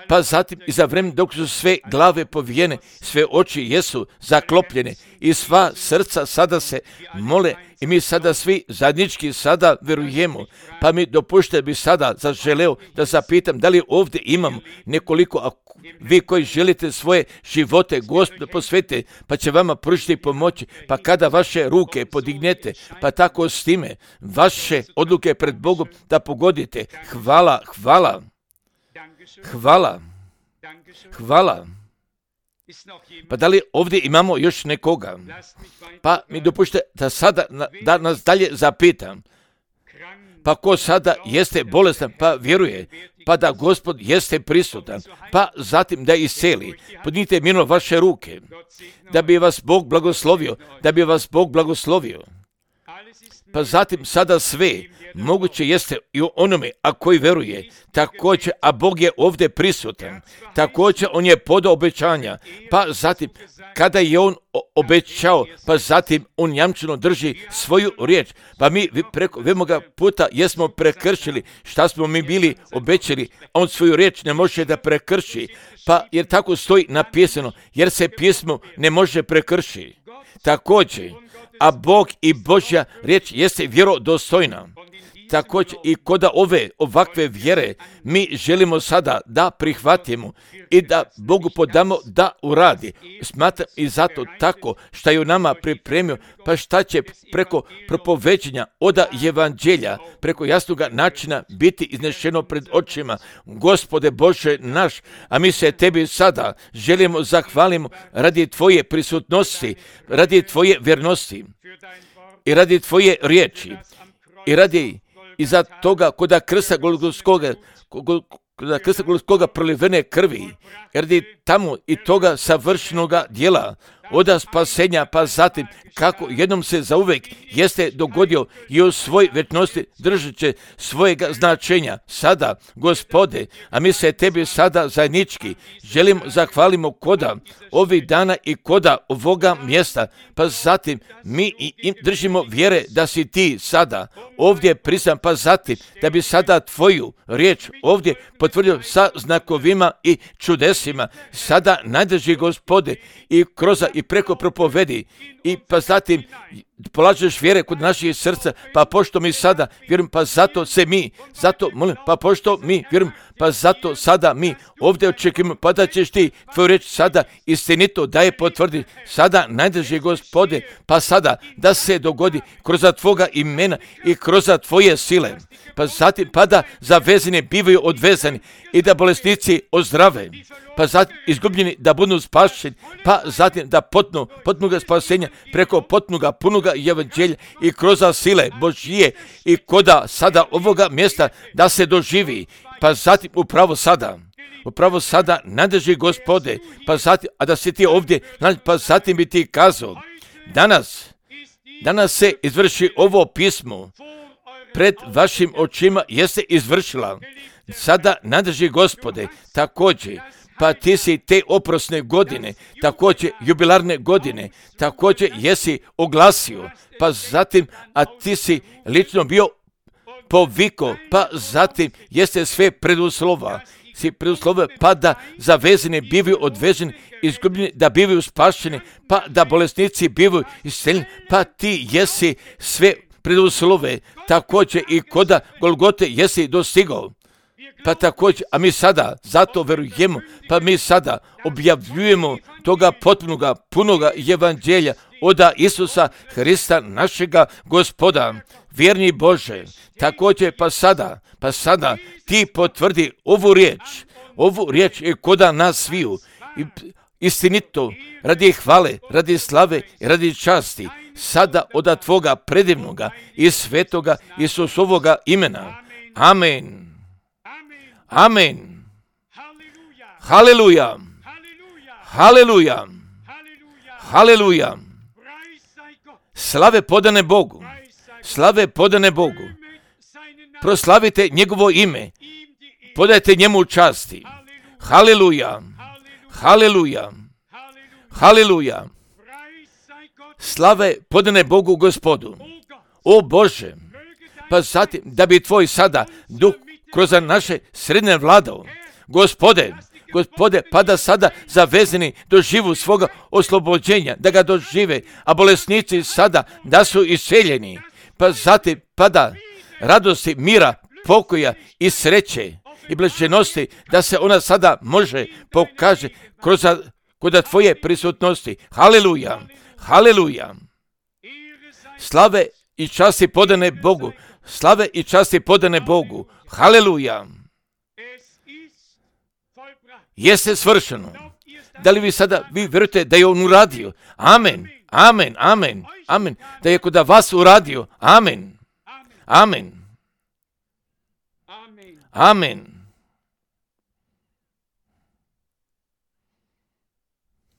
Pa zatim i za vrijeme dok su sve glave povijene, sve oči jesu zaklopljene i sva srca sada se mole i mi sada svi zajednički sada vjerujemo. Pa mi dopušte bi sada zaželeo da zapitam da li ovdje imamo nekoliko, a vi koji želite svoje živote Gospodu posvetite, pa će vama pružiti pomoći, pa kada vaše ruke podignete, pa tako s time vaše odluke pred Bogom da pogodite. Hvala, hvala. Hvala, hvala. Pa da li ovdje imamo još nekoga? Pa mi dopušte da sada da nas dalje zapitam. Pa ko sada jeste bolestan, pa vjeruje, pa da Gospod jeste prisutan, pa zatim da isceli. Podignite mirno vaše ruke, da bi vas Bog blagoslovio, da bi vas Bog blagoslovio. Pa zatim sada sve moguće jeste i u onome, a koji veruje, također, a Bog je ovdje prisutan, također on je podao obećanja, pa zatim kada je on obećao, pa zatim on jamčeno drži svoju riječ, pa mi preko vemoga puta jesmo prekršili šta smo mi bili obećali, on svoju riječ ne može da prekrši, pa jer tako stoji napisano, jer se pjesmo ne može prekršiti. Također, a Bog i Božja riječ jeste vjerodostojna. Također i koda ove ovakve vjere mi želimo sada da prihvatimo i da Bogu podamo da uradi. Smatram i zato tako što je u nama pripremio, pa šta će preko propoveđenja oda evanđelja, preko jasnoga načina biti iznešeno pred očima. Gospode Bože naš, a mi se tebi sada želimo zahvalimo radi tvoje prisutnosti, radi tvoje vjernosti i radi tvoje riječi i radi iza toga koda krsta Golgotskoga, koda krsta Golgotskoga prolivene krvi, jer je tamo i toga savršenoga djela, oda spasenja, pa zatim kako jednom se zauvek jeste dogodio i u svoj večnosti držat će svojega značenja. Sada, Gospode, a mi se tebi sada zajednički želimo zahvalimo koda ovih dana i koda ovoga mjesta, pa zatim mi i držimo vjere da si ti sada ovdje prisan, pa zatim da bi sada tvoju riječ ovdje potvrdio sa znakovima i čudesima. Sada najdrži Gospode i kroz i preko propovedi i pa zatim polažeš vjere kod naših srca, pa pošto mi sada vjerujem, pa zato se mi, zato molim, pa pošto mi vjerujem, pa zato sada mi ovdje očekujemo, pa da ćeš ti tvoju reč sada istinito da je potvrdi. Sada najdrži Gospode, pa sada da se dogodi kroz tvoga imena i kroz tvoje sile. Pa zatim pa da zavezani bivaju odvezani i da bolesnici ozdrave, pa zatim izgubljeni da budu spašeni, pa zatim da potnu, potnuga spasenja preko potnuga punoga evanđelja i kroz sile Božije i koda sada ovoga mjesta da se doživi, pa zatim upravo sada. Upravo sada nadrži Gospode, pa zatim, a da si ti ovdje, pa zatim bi ti kazao, danas, danas se izvrši ovo pismo, pred vašim očima jeste izvršila. Sada nadrži Gospode, također, pa ti si te oprosne godine, također jubilarne godine, također jesi oglasio, pa zatim, a ti si lično bio poviko, pa zatim jeste sve preduslova, si preduslove, pa da zavezeni bivaju odveženi, izgubljeni, da bivaju spašeni, pa da bolesnici bivaju isceljeni, pa ti jesi sve preduslove, također i koda Golgote jesi dostigao. Pa također, a mi sada zato verujemo, pa mi sada objavljujemo toga potpunoga, punoga evanđelja od Isusa Hrista našega Gospoda. Vjerni Bože, također pa sada, pa sada ti potvrdi ovu riječ, ovu riječ je koda nas sviju, istinito, radi hvale, radi slave i radi časti, sada od tvoga predivnoga i svetoga Isusovoga imena. Amen. Amen. Haleluja. Haleluja. Haleluja. Slave podane Bogu. Slave podane Bogu. Proslavite njegovo ime. Podajte njemu časti. Haleluja. Haleluja. Haleluja. Slave podane Bogu Gospodu. O Bože, pa zatim da bi tvoj sada duh kroz naše srednje vladao. Gospode, Gospode, pa da sada zavezeni doživu svoga oslobođenja, da ga dožive, a bolesnici sada da su isceljeni. Pa zatim, pa da radosti, mira, pokoja i sreće i blaženosti, da se ona sada može pokaže kroz kod tvoje prisutnosti. Haleluja, haleluja. Slave i časti podane Bogu. Slave i časti podane Bogu. Haleluja. Jeste svršeno. Da li vi sada, vi vjerujete da je on uradio? Amen, amen, amen, amen. Da je kod vas uradio? Amen, amen, amen.